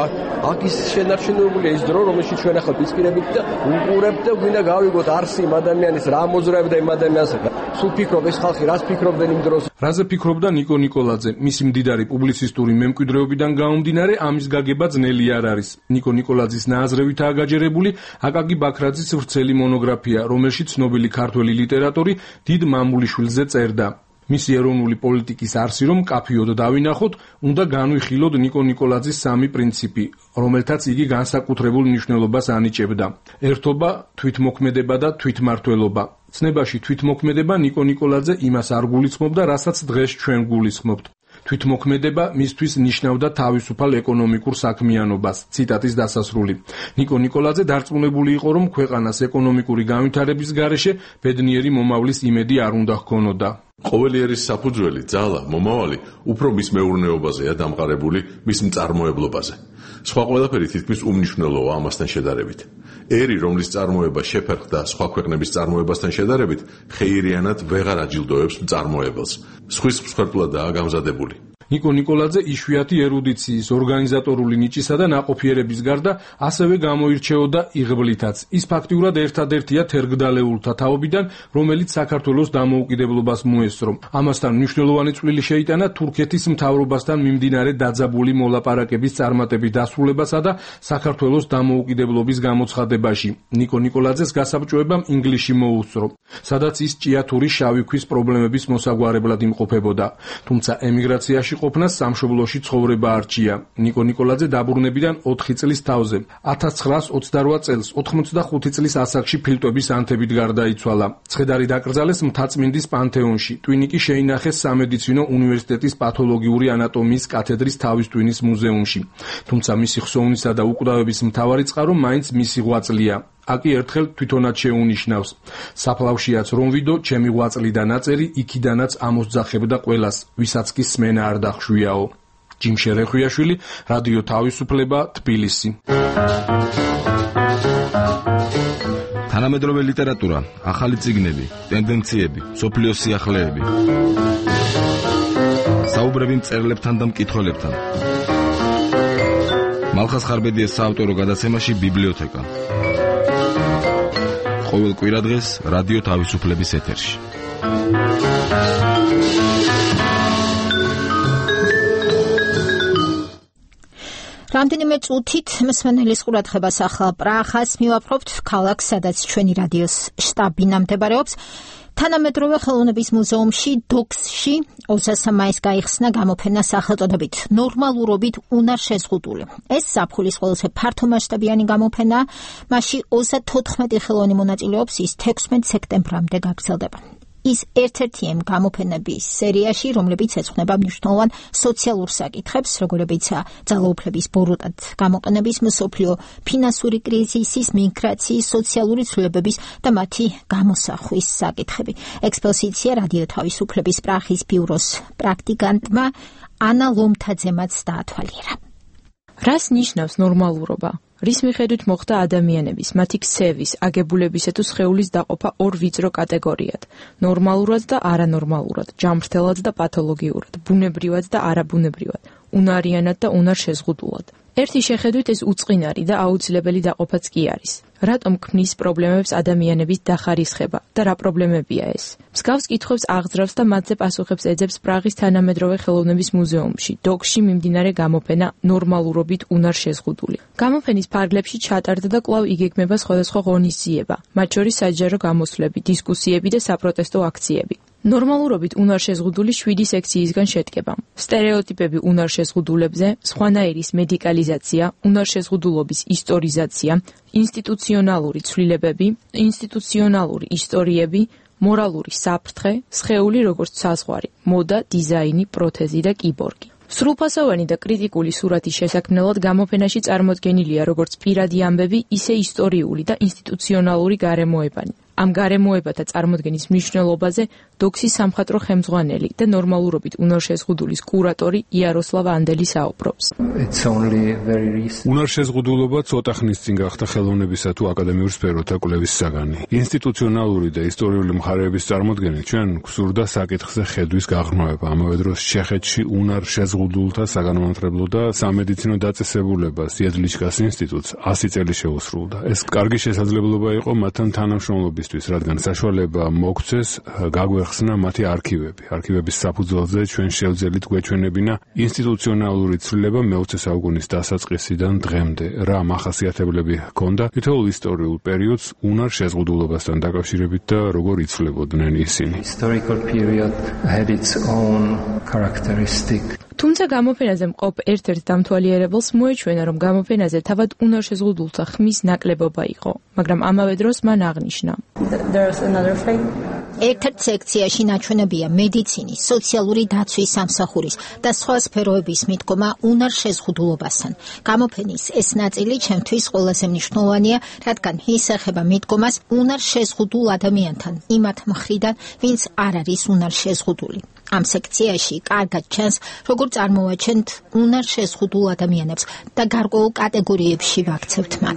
აქ ის შენარჩუნებულია ის დრო, რომელშიც ჩვენ ახლა ვიწკირებით და უყურებთ და გვინდა გავიგოთ არსი იმ ადამიანის რა მოძრაობდა იმ ადამიანს. სულ ფიქრობ ეს ხალხი რას ფიქრობდნენ იმ დროს. რაზე ფიქრობდა ნიკო ნიკოლაძე? მისი მდიდარი პუბლიცისტური მემკვიდრეობიდან გამომდინარე ამის გაგება ძნელი არ არის. ნიკო ნიკოლაძის ნააზრევითაა გაჯერებული აკაკი ბაქრაძის ვრცელი მონოგრაფია, რომელშიც ცნობილი ქართველი ლიტერატორი დიდ მამულიშვილზე წერდა. მისი ეროვნული პოლიტიკის არსი რომ კაფიოდ დავინახოთ, უნდა განვიხილოთ ნიკო ნიკოლაძის სამი პრინციპი, რომელთაც იგი განსაკუთრებულ მნიშვნელობას ანიჭებდა. ერთობა, თვითმოქმედება და თვითმმართველობა. ცნებაში თვითმოქმედება ნიკო ნიკოლაძე იმას არ გულისხმობდა, რასაც დღეს ჩვენ გულისხმობთ. თვითმოქმედება მისთვის ნიშნავდა თავისუფალ ეკონომიკურ საქმიანობას. ციტატის დასასრული. ნიკო ნიკოლაძე დარწმუნებული იყო, რომ ქვეყანას ეკონომიკური განვითარების გარეშე ბედნიერი მომავლის იმედი არ უნდა ჰქონოდა. ყოველი ერის საფუძველი, ძალა, მომავალი უფრო მის მეურნეობაზეა დამყარებული, მის მწარმოებლობაზე. სხვა ყველაფერი თითქმის უმნიშვნელოა ამასთან შედარებით. ერი, რომლის წარმოება შეფერხდა სხვა ქვეყნების წარმოებასთან შედარებით, ხეირიანად ვეღარ აჯილდოებს მწარმოებელს. სხვის მსხვერპლადაა გამზადებული. ნიკო ნიკოლაძე იშვიათი ერუდიციის, ორგანიზატორული ნიჭისა და ნაყოფიერების გარდა ასევე გამოირჩეოდა იღბლითაც. ის ფაქტიურად ერთადერთია თერგდალეულთა თაობიდან, რომელიც საქართველოს დამოუკიდებლობას მოესწრო. ამასთან მნიშვნელოვანი წვლილი შეიტანა თურქეთის მთავრობასთან მიმდინარე დაძაბული მოლაპარაკების წარმატებით დასრულებასა და საქართველოს დამოუკიდებლობის გამოცხადებაში. ნიკო ნიკოლაძეს გასაბჭოებამ ინგლისში მოუსწრო, სადაც ის ჭიათურის შავი ქვის პრობლემების მოსაგვარებლად იმყოფებოდა. თუმცა ემიგრაციაში ყოფნას სამშობლოში ცხოვრება არჩია. ნიკო ნიკოლაძე დაბრუნებიდან ოთხი წლის თავზე, ათას ცხრაას ოცდარვა წელს, ოთხმოცდახუთი წლის ასაკში ფილტვების ანთებით გარდაიცვალა. ცხედარი დაკრძალეს მთაწმინდის პანთეონში. ტვინი კი შეინახეს სამედიცინო უნივერსიტეტის პათოლოგიური ანატომიის კათედრის თავის ტვინის მუზეუმში. თუმცა მისი ხსოვნისა და უკვდავების მთავარი წყარო მაინც მისი ღვაწლია. აკი ერთხელ თვითონაც შეუნიშნავს. საფლავშიაც რომ ვიდო, ჩემი ღვაწლი და ნაწერი იქიდანაც ამოსძახებდა ყველას, ვისაც კი სმენა არ დახვიაო. ჯიმშე რეხვიაშვილი, რადიო თავისუფლება, თბილისი. თანამედროვე ლიტერატურა, ახალი წიგნები, ტენდენციები, სოფლიოს სიახლეები. საუბრები მწერლებთან და მკითხველებთან. მალხას ხარბედიას საავტორო გადაცემაში ბიბლიოთეკა. ყოველ კვირადღეს რადიო თავისუფლების ეთერში. რამდენიმე წუთით მსმენელის ყურადღებას ახლა პრაღას მივაპყრობთ, ქალაქს, სადაც ჩვენი რადიოს შტაბი ნამდებარეობს. თანამედროვე ხელოვნების მუზეუმში დოქსში ოცდაოთხ მაისს გაიხსნა გამოფენა სახელწოდებით ნორმალურობით უნარ შეზღუდული. ეს ზაფხულის ყველაზე ფართომასშტაბიანი გამოფენა, მასში ოცდათოთხმეტი ხელოვანი მონაწილეობს, ის თექვსმეტ სექტემბრამდე გაგრძელდება. ის ერთ-ერთი ამ გამოფენების სერიაში, რომლებიც ეძღვნება მნიშვნელოვან სოციალურ საკითხებს, როგორებიცაა ძალაუფლების ბოროტად გამოყენების, მსოფლიო ფინანსური კრიზისის, მიგრაციის, სოციალური ცვლილებების და მათი გამოსახვის საკითხები. ექსპოზიცია რადიო თავისუფლების პრაღის ბიუროს პრაქტიკანტმა ანა ლომთაძემაც დაათვალიერა. რას ნიშნავს ნორმალურობა? რის მიხედვით მოხდა ადამიანების, მათი ქსევის, აგებულებისა თუ სხეულის დაყოფა ორ ვიწრო კატეგორიად: ნორმალურად და არანორმალურად, ჯამრთელად და პათოლოგიურად, ბუნებრივად და არაბუნებრივად, უნარიანად და უნარშეზღუდულად. ერთი შეხედვით ეს უწყინარი და აუცილებელი დაყოფაც კი არის. რატომ ქმნის პრობლემებს ადამიანების დახარისხება და რა პრობლემებია ეს? მსგავს კითხვებს აღძრავს და მათზე პასუხებს ეძებს პრაღის თანამედროვე ხელოვნების მუზეუმში, დოქსში მიმდინარე გამოფენა ნორმალურობით უნარშეზღუდული. გამოფენის ფარგლებში ჩატარდა და კვლავ იგეგმება სხვადასხვა ღონისძიება, მათ შორის საჯარო გამოსვლები, დისკუსიები და საპროტესტო აქციები. ნორმალურობით უნარშეზღუდული შვიდი სექციისგან შედგება. სტერეოტიპები უნარშეზღუდულებზე, სხვანაირის მედიკალიზაცია, უნარშეზღუდულობის ისტორიზაცია, ინსტიტუციონალური ცვლილებები, ინსტიტუციონალური ისტორიები, მორალური საფრთხე, სხეული როგორც საზღვარი, მოდა, დიზაინი, პროთეზი და კიბორგი. სრულფასოვანი და კრიტიკული სურათის შესაქმნელად გამოფენაში წარმოდგენილია როგორც პირადი ამბები, ისე ისტორიული და ინსტიტუციონალური გარემოებანი. ამ გარემოებათა წარმოდგენის მნიშვნელობაზე დოქსის სამხატვრო ხელმძღვანელი და ნორმალურობით უნარშეზღუდულის კურატორი იაროსლავ ანდელი საუბრობს. უნარშეზღუდულობა ცოტა ხნის წინ გახდა ხელოვნებისა თუ აკადემიურ სფეროთა კვლევის საგანი. ინსტიტუციონალური და ისტორიული მხარეების წარმოდგენით ჩვენ გვსურდა საკითხზე ხედვის გაღრმავება. ამავე დროს ჩეხეთში უნარშეზღუდულთა საგანმანათლებლო და სამედიცინო დაწესებულებას იედლიჩკას ინსტიტუტს ასი წელი შეუსრულდა. ეს კარგი შესაძლებლობა იყო მათთან თანამშრომლობის, რადგან საშუალება მოგვცეს გაგვეხსნა მათი არქივები. არქივების საფუძველზე ჩვენ შევძელით გვეჩვენებინა ინსტიტუციონალური ცვლილება მეოცე საუკუნის დასაწყისიდან დღემდე, რა მახასიათებლები ჰქონდა თითოეულ ისტორიულ პერიოდს უნარშეზღუდულობასთან დაკავშირებით და როგორ იცვლებოდნენ ისინი. თუმცა გამოფენაზე მყოფ ერთ-ერთ დამთვალიერებელს მოეჩვენა, რომ გამოფენაზე თავად უნარშეზღუდულთა ხმის ნაკლებობა იყო, მაგრამ ამავე დროს მან აღნიშნა. ერთ-ერთ სექციაში ნაჩვენებია მედიცინის, სოციალური დაცვის სამსახურის და სხვა სფეროების მიდგომა უნარშეზღუდულობასთან. გამოფენის ეს ნაწილი ჩემთვის ყველაზე მნიშვნელოვანია, რადგან ის ეხება მიდგომას უნარშეზღუდულ ადამიანთან, იმათ მხრიდან, ვინც არ არის უნარშეზღუდული. ამ სექციაში კარგად ჩანს, როგორ წარმოვაჩენთ უნარშეზღუდულ ადამიანებს და გარკვეულ კატეგორიებში ვაქცევთ მათ.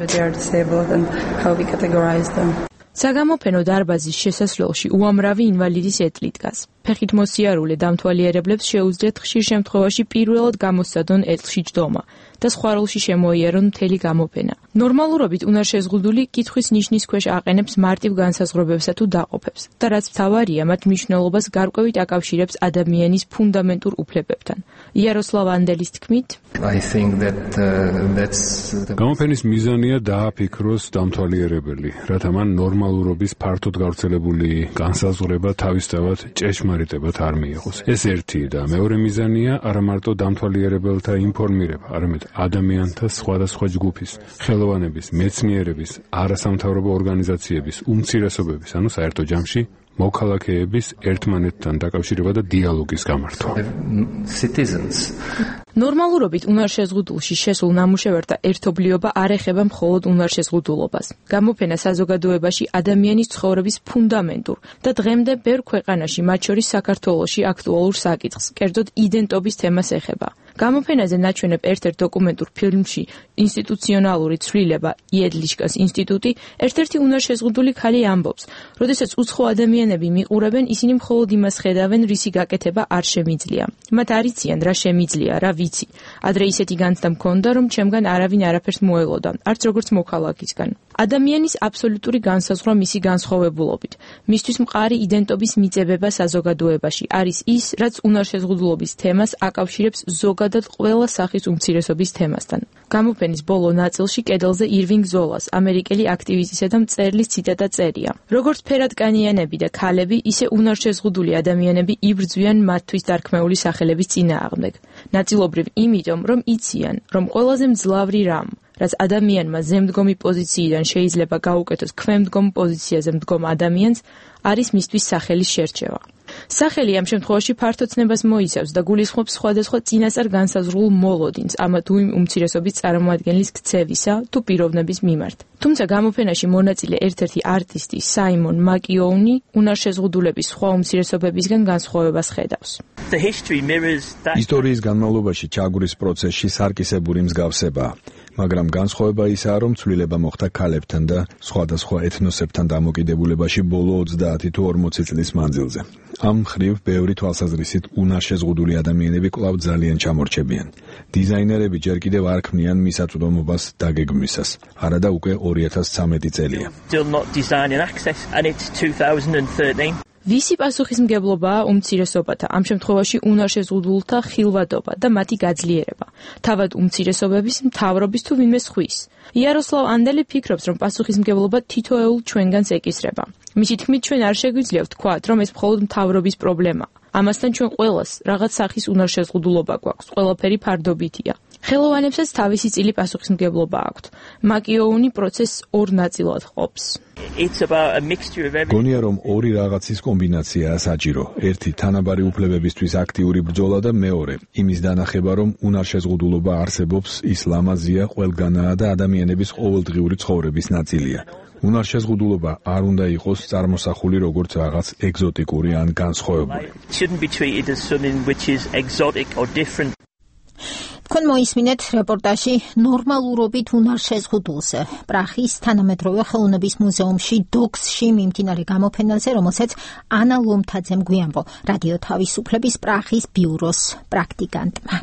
საგამოფენო დარბაზის შესასვლელში უამრავი ინვალიდის ეტლი დგას. ფეხით მოსიარულე დამთვალიერებლებს შეუძლიათ ხშირ შემთხვევაში პირველად გამოსცადონ ეტლში ჯდომა და სხვა როლში შემოიარონ მთელი გამოფენა. ნორმალურობით უნარშეზღუდული კითხვის ნიშნის ქვეშ აყენებს მარტივ განსაზღვრებებსა თუ დაყოფებს და რაც მთავარია, მათ მნიშვნელობას გარკვევით აკავშირებს ადამიანის ფუნდამენტურ უფლებებთან. იაროსლავ ანდელის თქმით, გამოფენის მიზანია დააფიქროს დამთვალიერებელი, რათა მან ნორმალურობის ფართოდ გავრცელებული განსაზღვრება თავისთავად ჭეშმარიტებად არ მიიღოს. ეს ერთი და მეორე მიზანია არა მარტო დამთვალიერებელთა ინფორმირება, არამედ ადამიანთა სხვადასხვა ჯგუფის, ხელოვანების, მეცნიერების, არასამთავრობო ორგანიზაციების, უმცირესობების, ანუ საერთო ჯამში მოქალაქეების ერთმანეთთან დაკავშირება და დიალოგის გამართვა. ნორმალურობით უნარშეზღუდულში შესულ ნამუშევართა ერთობლიობა არ ეხება მხოლოდ უნარშეზღუდულობას. გამოფენა საზოგადოებაში ადამიანის ცხოვრების ფუნდამენტურ და დღემდე ბევრ ქვეყანაში, მათ შორის საქართველოში აქტუალურ საკითხს, კერძოდ იდენტობის თემას ეხება. გამოფენაზე ნაჩვენებ ერთ-ერთ დოკუმენტურ ფილმში ინსტიტუციონალური ცვლილება იედლიჩკას ინსტიტუტი ერთ-ერთი უნარშეზღუდული ქალი ამბობს, როდესაც უცხო ადამიანები მიყურებენ, ისინი მხოლოდ იმას ხედავენ, რისი გაკეთება არ შემიძლია. მათ არ იციან, რა შემიძლია, რა ვიცი. ადრე ისეთი განცდა მქონდა, რომ ჩემგან არავინ არაფერს მოელოდა, არც როგორც მოქალაქისგან. ადამიანის აბსოლუტური განსაზღვრა მისი განსხვავებულობით, მისთვის მყარი იდენტობის მიწებება საზოგადოებაში არის ის, რაც უნარშეზღუდულობის თემას აკავშირებს ზოგადად ყველა სახის უმცირესობის თემასთან. გამოფენის ბოლო ნაწილში კედელზე ირვინგ ზოლას, ამერიკელი აქტივისტისა და მწერლის ციტატა წერია. როგორც ფერადკანიანები და ქალები, ისე უნარშეზღუდული ადამიანები იბრძვიან მათთვის დარქმეული სახელების წინააღმდეგ. ნაწილობრივ იმიტომ, რომ იციან, რომ ყველაზე მძლავრი რამ, რაც ადამიანმა ზემდგომი პოზიციიდან შეიძლება გაუკეთოს ქვემდგომ პოზიციაზე მდგომ ადამიანს, არის მისთვის სახელის შერჩევა. სახელი ამ შემთხვევაში ფართოცნებას მოიცავს და გულისხმობს სხვადასხვა წინასწარ განსაზღვრულ მოლოდინს ამა თუ იმ უმცირესობის წარმოადგენლის ქცევისა თუ პიროვნების მიმართ. თუმცა გამოფენაში მონაწილე ერთ-ერთი არტისტი საიმონ მაკიოუნი უნარშეზღუდულების სხვა უმცირესობებისგან განსხვავებას ხედავს. ისტორიის განმავლობაში ჩაგვრის პროცესში სარკისებური მსგავსებაა. მაგრამ განსხვავება ისაა, რომ ცვლილება მოხდა ქალებთან და სხვადასხვა ეთნოსებთან დამოკიდებულებაში ბოლო ოცდაათი თუ ორმოცი წლის მანძილზე. ამ მხრივ ბევრი თვალსაზრისით უნარშეზღუდული ადამიანები კვლავ ძალიან ჩამორჩებიან. დიზაინერები ჯერ კიდევ არ ქმნიან მისაწვდომობას დაგეგმვისას, არა და უკვე ორი ათას ცხრამეტი წელია. ვისი პასუხისმგებლობაა უმცირესობათა, ამ შემთხვევაში უნარშეზღუდულთა ხილვადობა და მათი გაძლიერება, თავად უმცირესობების, მთავრობის თუ ვინმე სხვის. იაროსლავ ანდელი ფიქრობს, რომ პასუხისმგებლობა თითოეულ ჩვენგანს ეკისრება. მისი თქმით, ჩვენ არ შეგვიძლია ვთქვათ, რომ ეს მხოლოდ მთავრობის პრობლემაა. ამასთან ჩვენ ყველას რაღაც სახის უნარშეზღუდულობა გვაქვს, ყველაფერი ფარდობითია. ხელოვანებსაც თავისი წილი პასუხისმგებლობა აქვთ. მაკიოუნი პროცესს ორ ნაწილად ყოფს. გონია რომ ორი რაღაცის კომბინაციაა საჭირო. ერთი თანაბარი უფლებებისთვის აქტიური ბრძოლა და მეორე იმის დანახება, რომ უნარშეზღუდულობა არსებობს, ის ლამაზია, ყველგანაა და ადამიანების ყოველდღიური ცხოვრების ნაწილია. უნარშეზღუდულობა არ უნდა იყოს წარმოსახული როგორც რაღაც ეგზოტიკური ან განსხვავებული. თქვენ მოისმინეთ რეპორტაჟი ნორმალურობით უნარშეზღუდულზე პრაღის თანამედროვე ხელოვნების მუზეუმში დოქსში მიმდინარე გამოფენაზე, რომელსაც ანა ლომთაძემ გვიანბო რადიო თავისუფლების პრაღის ბიუროს პრაქტიკანტმა.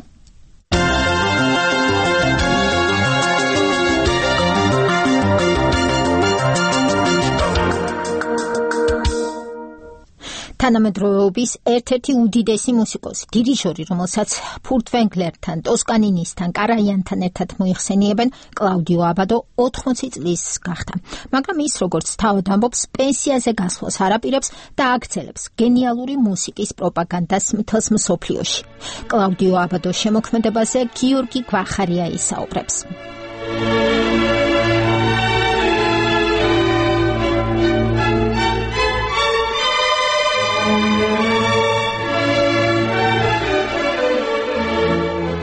თანამედროვეობის ერთ-ერთი უდიდესი მუსიკოსი, დირიჟორი, რომელსაც ფურტ ვენგლერთან, ტოსკანინისთან, კარაიანთან ერთად მოიხსენიებენ, კლაუდიო აბადო ოთხმოცი წლის გახდა. მაგრამ ის, როგორც თავად ამბობს, პენსიაზე გასვლას არ აპირებს და აგრძელებს გენიალური მუსიკის პროპაგანდას მთელს მსოფლიოში. კლაუდიო აბადოს შემოქმედებაზე გიორგი გვახარია ისაუბრებს.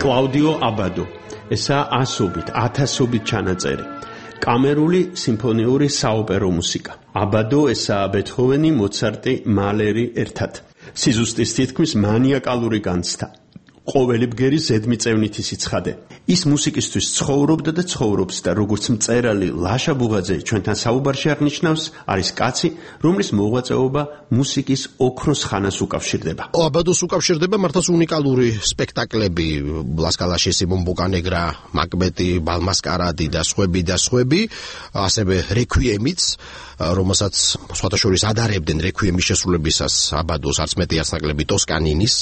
კლაუდიო აბადო, ესაა ასობით, ათასობით ჩანაწერი. კამერული სიმფონიური საოპერო მუსიკა. აბადო, ესაა ბეთჰოვენი, მოცარტი, მალერი ერთად. სიზუსტის თითქმის მანიაკალური განცდა. ყოველი ბგერი ზედმიწევნითი სიცხადე. ის მუსიკისთვის ცხოვრობდა და ცხოვრობს და როგორც მწერალი ლაშა ბუღაძე ჩვენთან საუბარში აღნიშნავს, არის კაცი, რომლის მოღვაწეობა მუსიკის ოქროს ხანას უკავშირდება. აბადოს უკავშირდება მართლაც უნიკალური სპექტაკლები, ლასკალაშისი, ბომბუკა ნეგრა, მაკბეტი, ბალმასკარადი და სხვები და სხვები, ასევე რეკვიემიც, რომელსაც სხვათა შორის ადარებდნენ რეკვიემის შესრულებისას აბადოს არც მეტი არც ნაკლები ტოსკანინის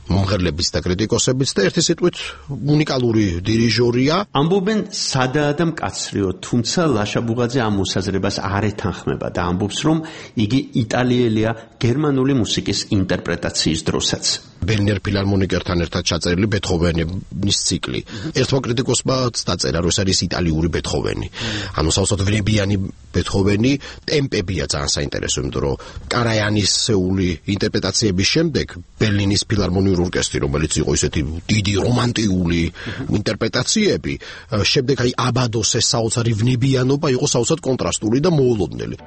მომღერლებიც და კრიტიკოსებიც და ერთი სიტყვით უნიკალური დირიჟორია. ამბობენ სადაა და მკაცრიო, თუმცა ლაშა ბუღაძე ამ მოსაზრებას არ ეთანხმება და ამბობს, რომ იგი იტალიელია გერმანული მუსიკის ინტერპრეტაციის დროსაც. ბერნერ ფილარმონიკერთან ერთად ჩაწერილი ბეთჰოვენის ციკლი. ერთმა კრიტიკოსმა დაწერა, რომ ეს არის იტალიური ბეთჰოვენი. ანუ საოცრად ვნებიანი ბეთჰოვენი, ტემპებია ძალიან საინტერესო, იმიტომ რომ კარაიანისეული ინტერპრეტაციების შემდეგ ბერლინის ფილარმონიურ ორკესტრი, რომელიც იყო ისეთი დიდი რომანტიული ინტერპრეტაციები, შემდეგ აი აბადოს ეს საოცარი ვნებიანობა იყო საოცრად კონტრასტული და მოულოდნელი.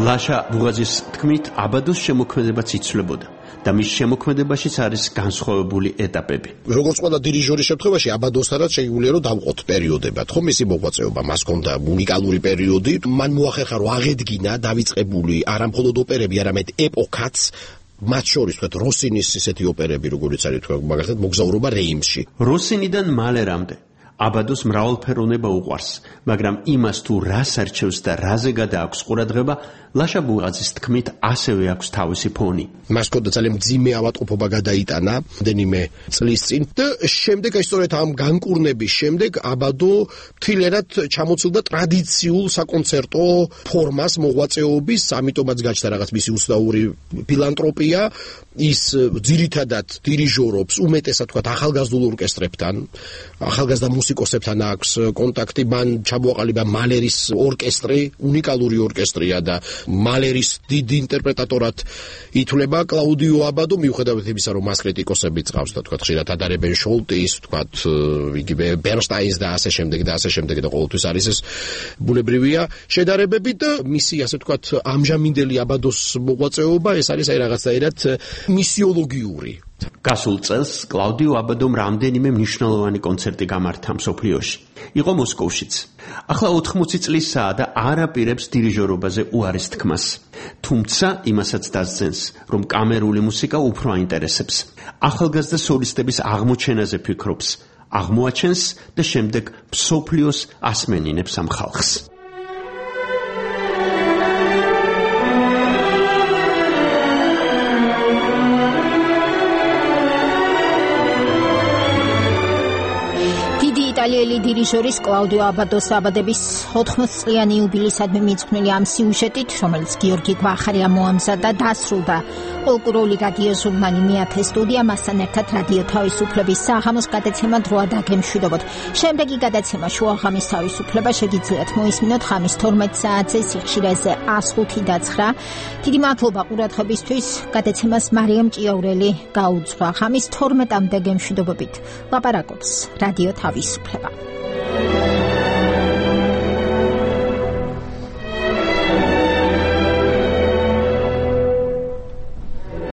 ლაშა ბუღაძის თქმით, აბადოს შემოქმედებაც იცვლებოდა და მის შემოქმედებაშიც არის განსხვავებული ეტაპები. როგორც ყველა დირიჟორის შემთხვევაში, აბადოსთანაც შეგვიძლია რომ დავყოთ პერიოდებად, ხო მისი მოღვაწეობა, მას ჰქონდა უნიკალური პერიოდი, მან მოახერხა რომ აღედგინა დავიწყებული არა მხოლოდ ოპერები, არამედ ეპოქაც, მათ შორის თქვათ როსინის ისეთი ოპერები, როგორიც არის თქვა მაგალითად მოგზაურობა რეიმსში. როსინიდან მალერამდე აბადოს მრავალფეროვნება უყვარს, მაგრამ იმას თუ რას არჩევს და რაზე გადააქვს ყურადღება, ლაშა ბუღაძის თქმით ასევე აქვს თავისი ფონი. მას ჰქონდა ძალიან მძიმე ავადმყოფობა გადაიტანა რამდენიმე წლის წინ და შემდეგ აი სწორედ ამ განკურნების შემდეგ აბადო მთლიანად ჩამოცილდა ტრადიციულ საკონცერტო ფორმას მოღვაწეობის, ამიტომაც გაჩნდა რაღაც მისი უცნაური ფილანტროპია, ის ძირითადად დირიჟორობს უმეტესად თქვათ ახალგაზრდულ ორკესტრებთან, ახალგაზრდა მუსიკოსებთან აქვს კონტაქტი, მან ჩამოაყალიბა მალერის ორკესტრი, უნიკალური ორკესტრია და მალერის დიდ ინტერპრეტატორად ითვლება კლაუდიო აბადო, მიუხედავად იმისა, რომ მას კრიტიკოსები წავს და თქვათ ხშირად ადარებენ შოლტის, თქვათ იგივე ბერნშტაინს და ასე შემდეგ და ასე შემდეგ და ყოველთვის არის ეს ბუნებრივია შედარებები და მისი ასე თქვათ ამჟამინდელი აბადოს მოღვაწეობა ეს არის აი რაღაცაირად მისიოლოგიური. გასულ წელს კლაუდიო აბადომ რამდენიმე მნიშვნელოვანი კონცერტი გამართა მსოფლიოში. იყო მოსკოვშიც. ახლა ოთხმოცი წლისაა და არ აპირებს დირიჟორობაზე უარის თქმას. თუმცა იმასაც დასძენს, რომ კამერული მუსიკა უფრო აინტერესებს. ახალგაზრდა სოლისტების აღმოჩენაზე ფიქრობს, აღმოაჩენს და შემდეგ მსოფლიოს ასმენინებს ამ ხალხს. იტალიელი დირიჟორის კლაუდიო აბადოს აბადების ოთხმოცი წლიანი იუბილეისადმი მიძღვნილი ამ სიუჟეტით, რომელიც გიორგი გვახარია მოამზადა, დასრულდა ფოლკლორული რადიო ჟურნალი მეათე სტუდია, მასთან ერთად რადიო თავისუფლების საღამოს გადაცემა დროა დაგემშვიდობოთ. შემდეგი გადაცემა შუაღამის თავისუფლება შეგიძლიათ მოისმინოთ ხამის თორმეტ საათზე სიხშირეზე ას ხუთი და ცხრა. დიდი მადლობა ყურადღებისთვის. გადაცემას მარიამ ჭიაურელი გაუძღვა. ხამის თორმეტამდე გემშვიდობებით. ლაპარაკობს რადიო თავისუფლება.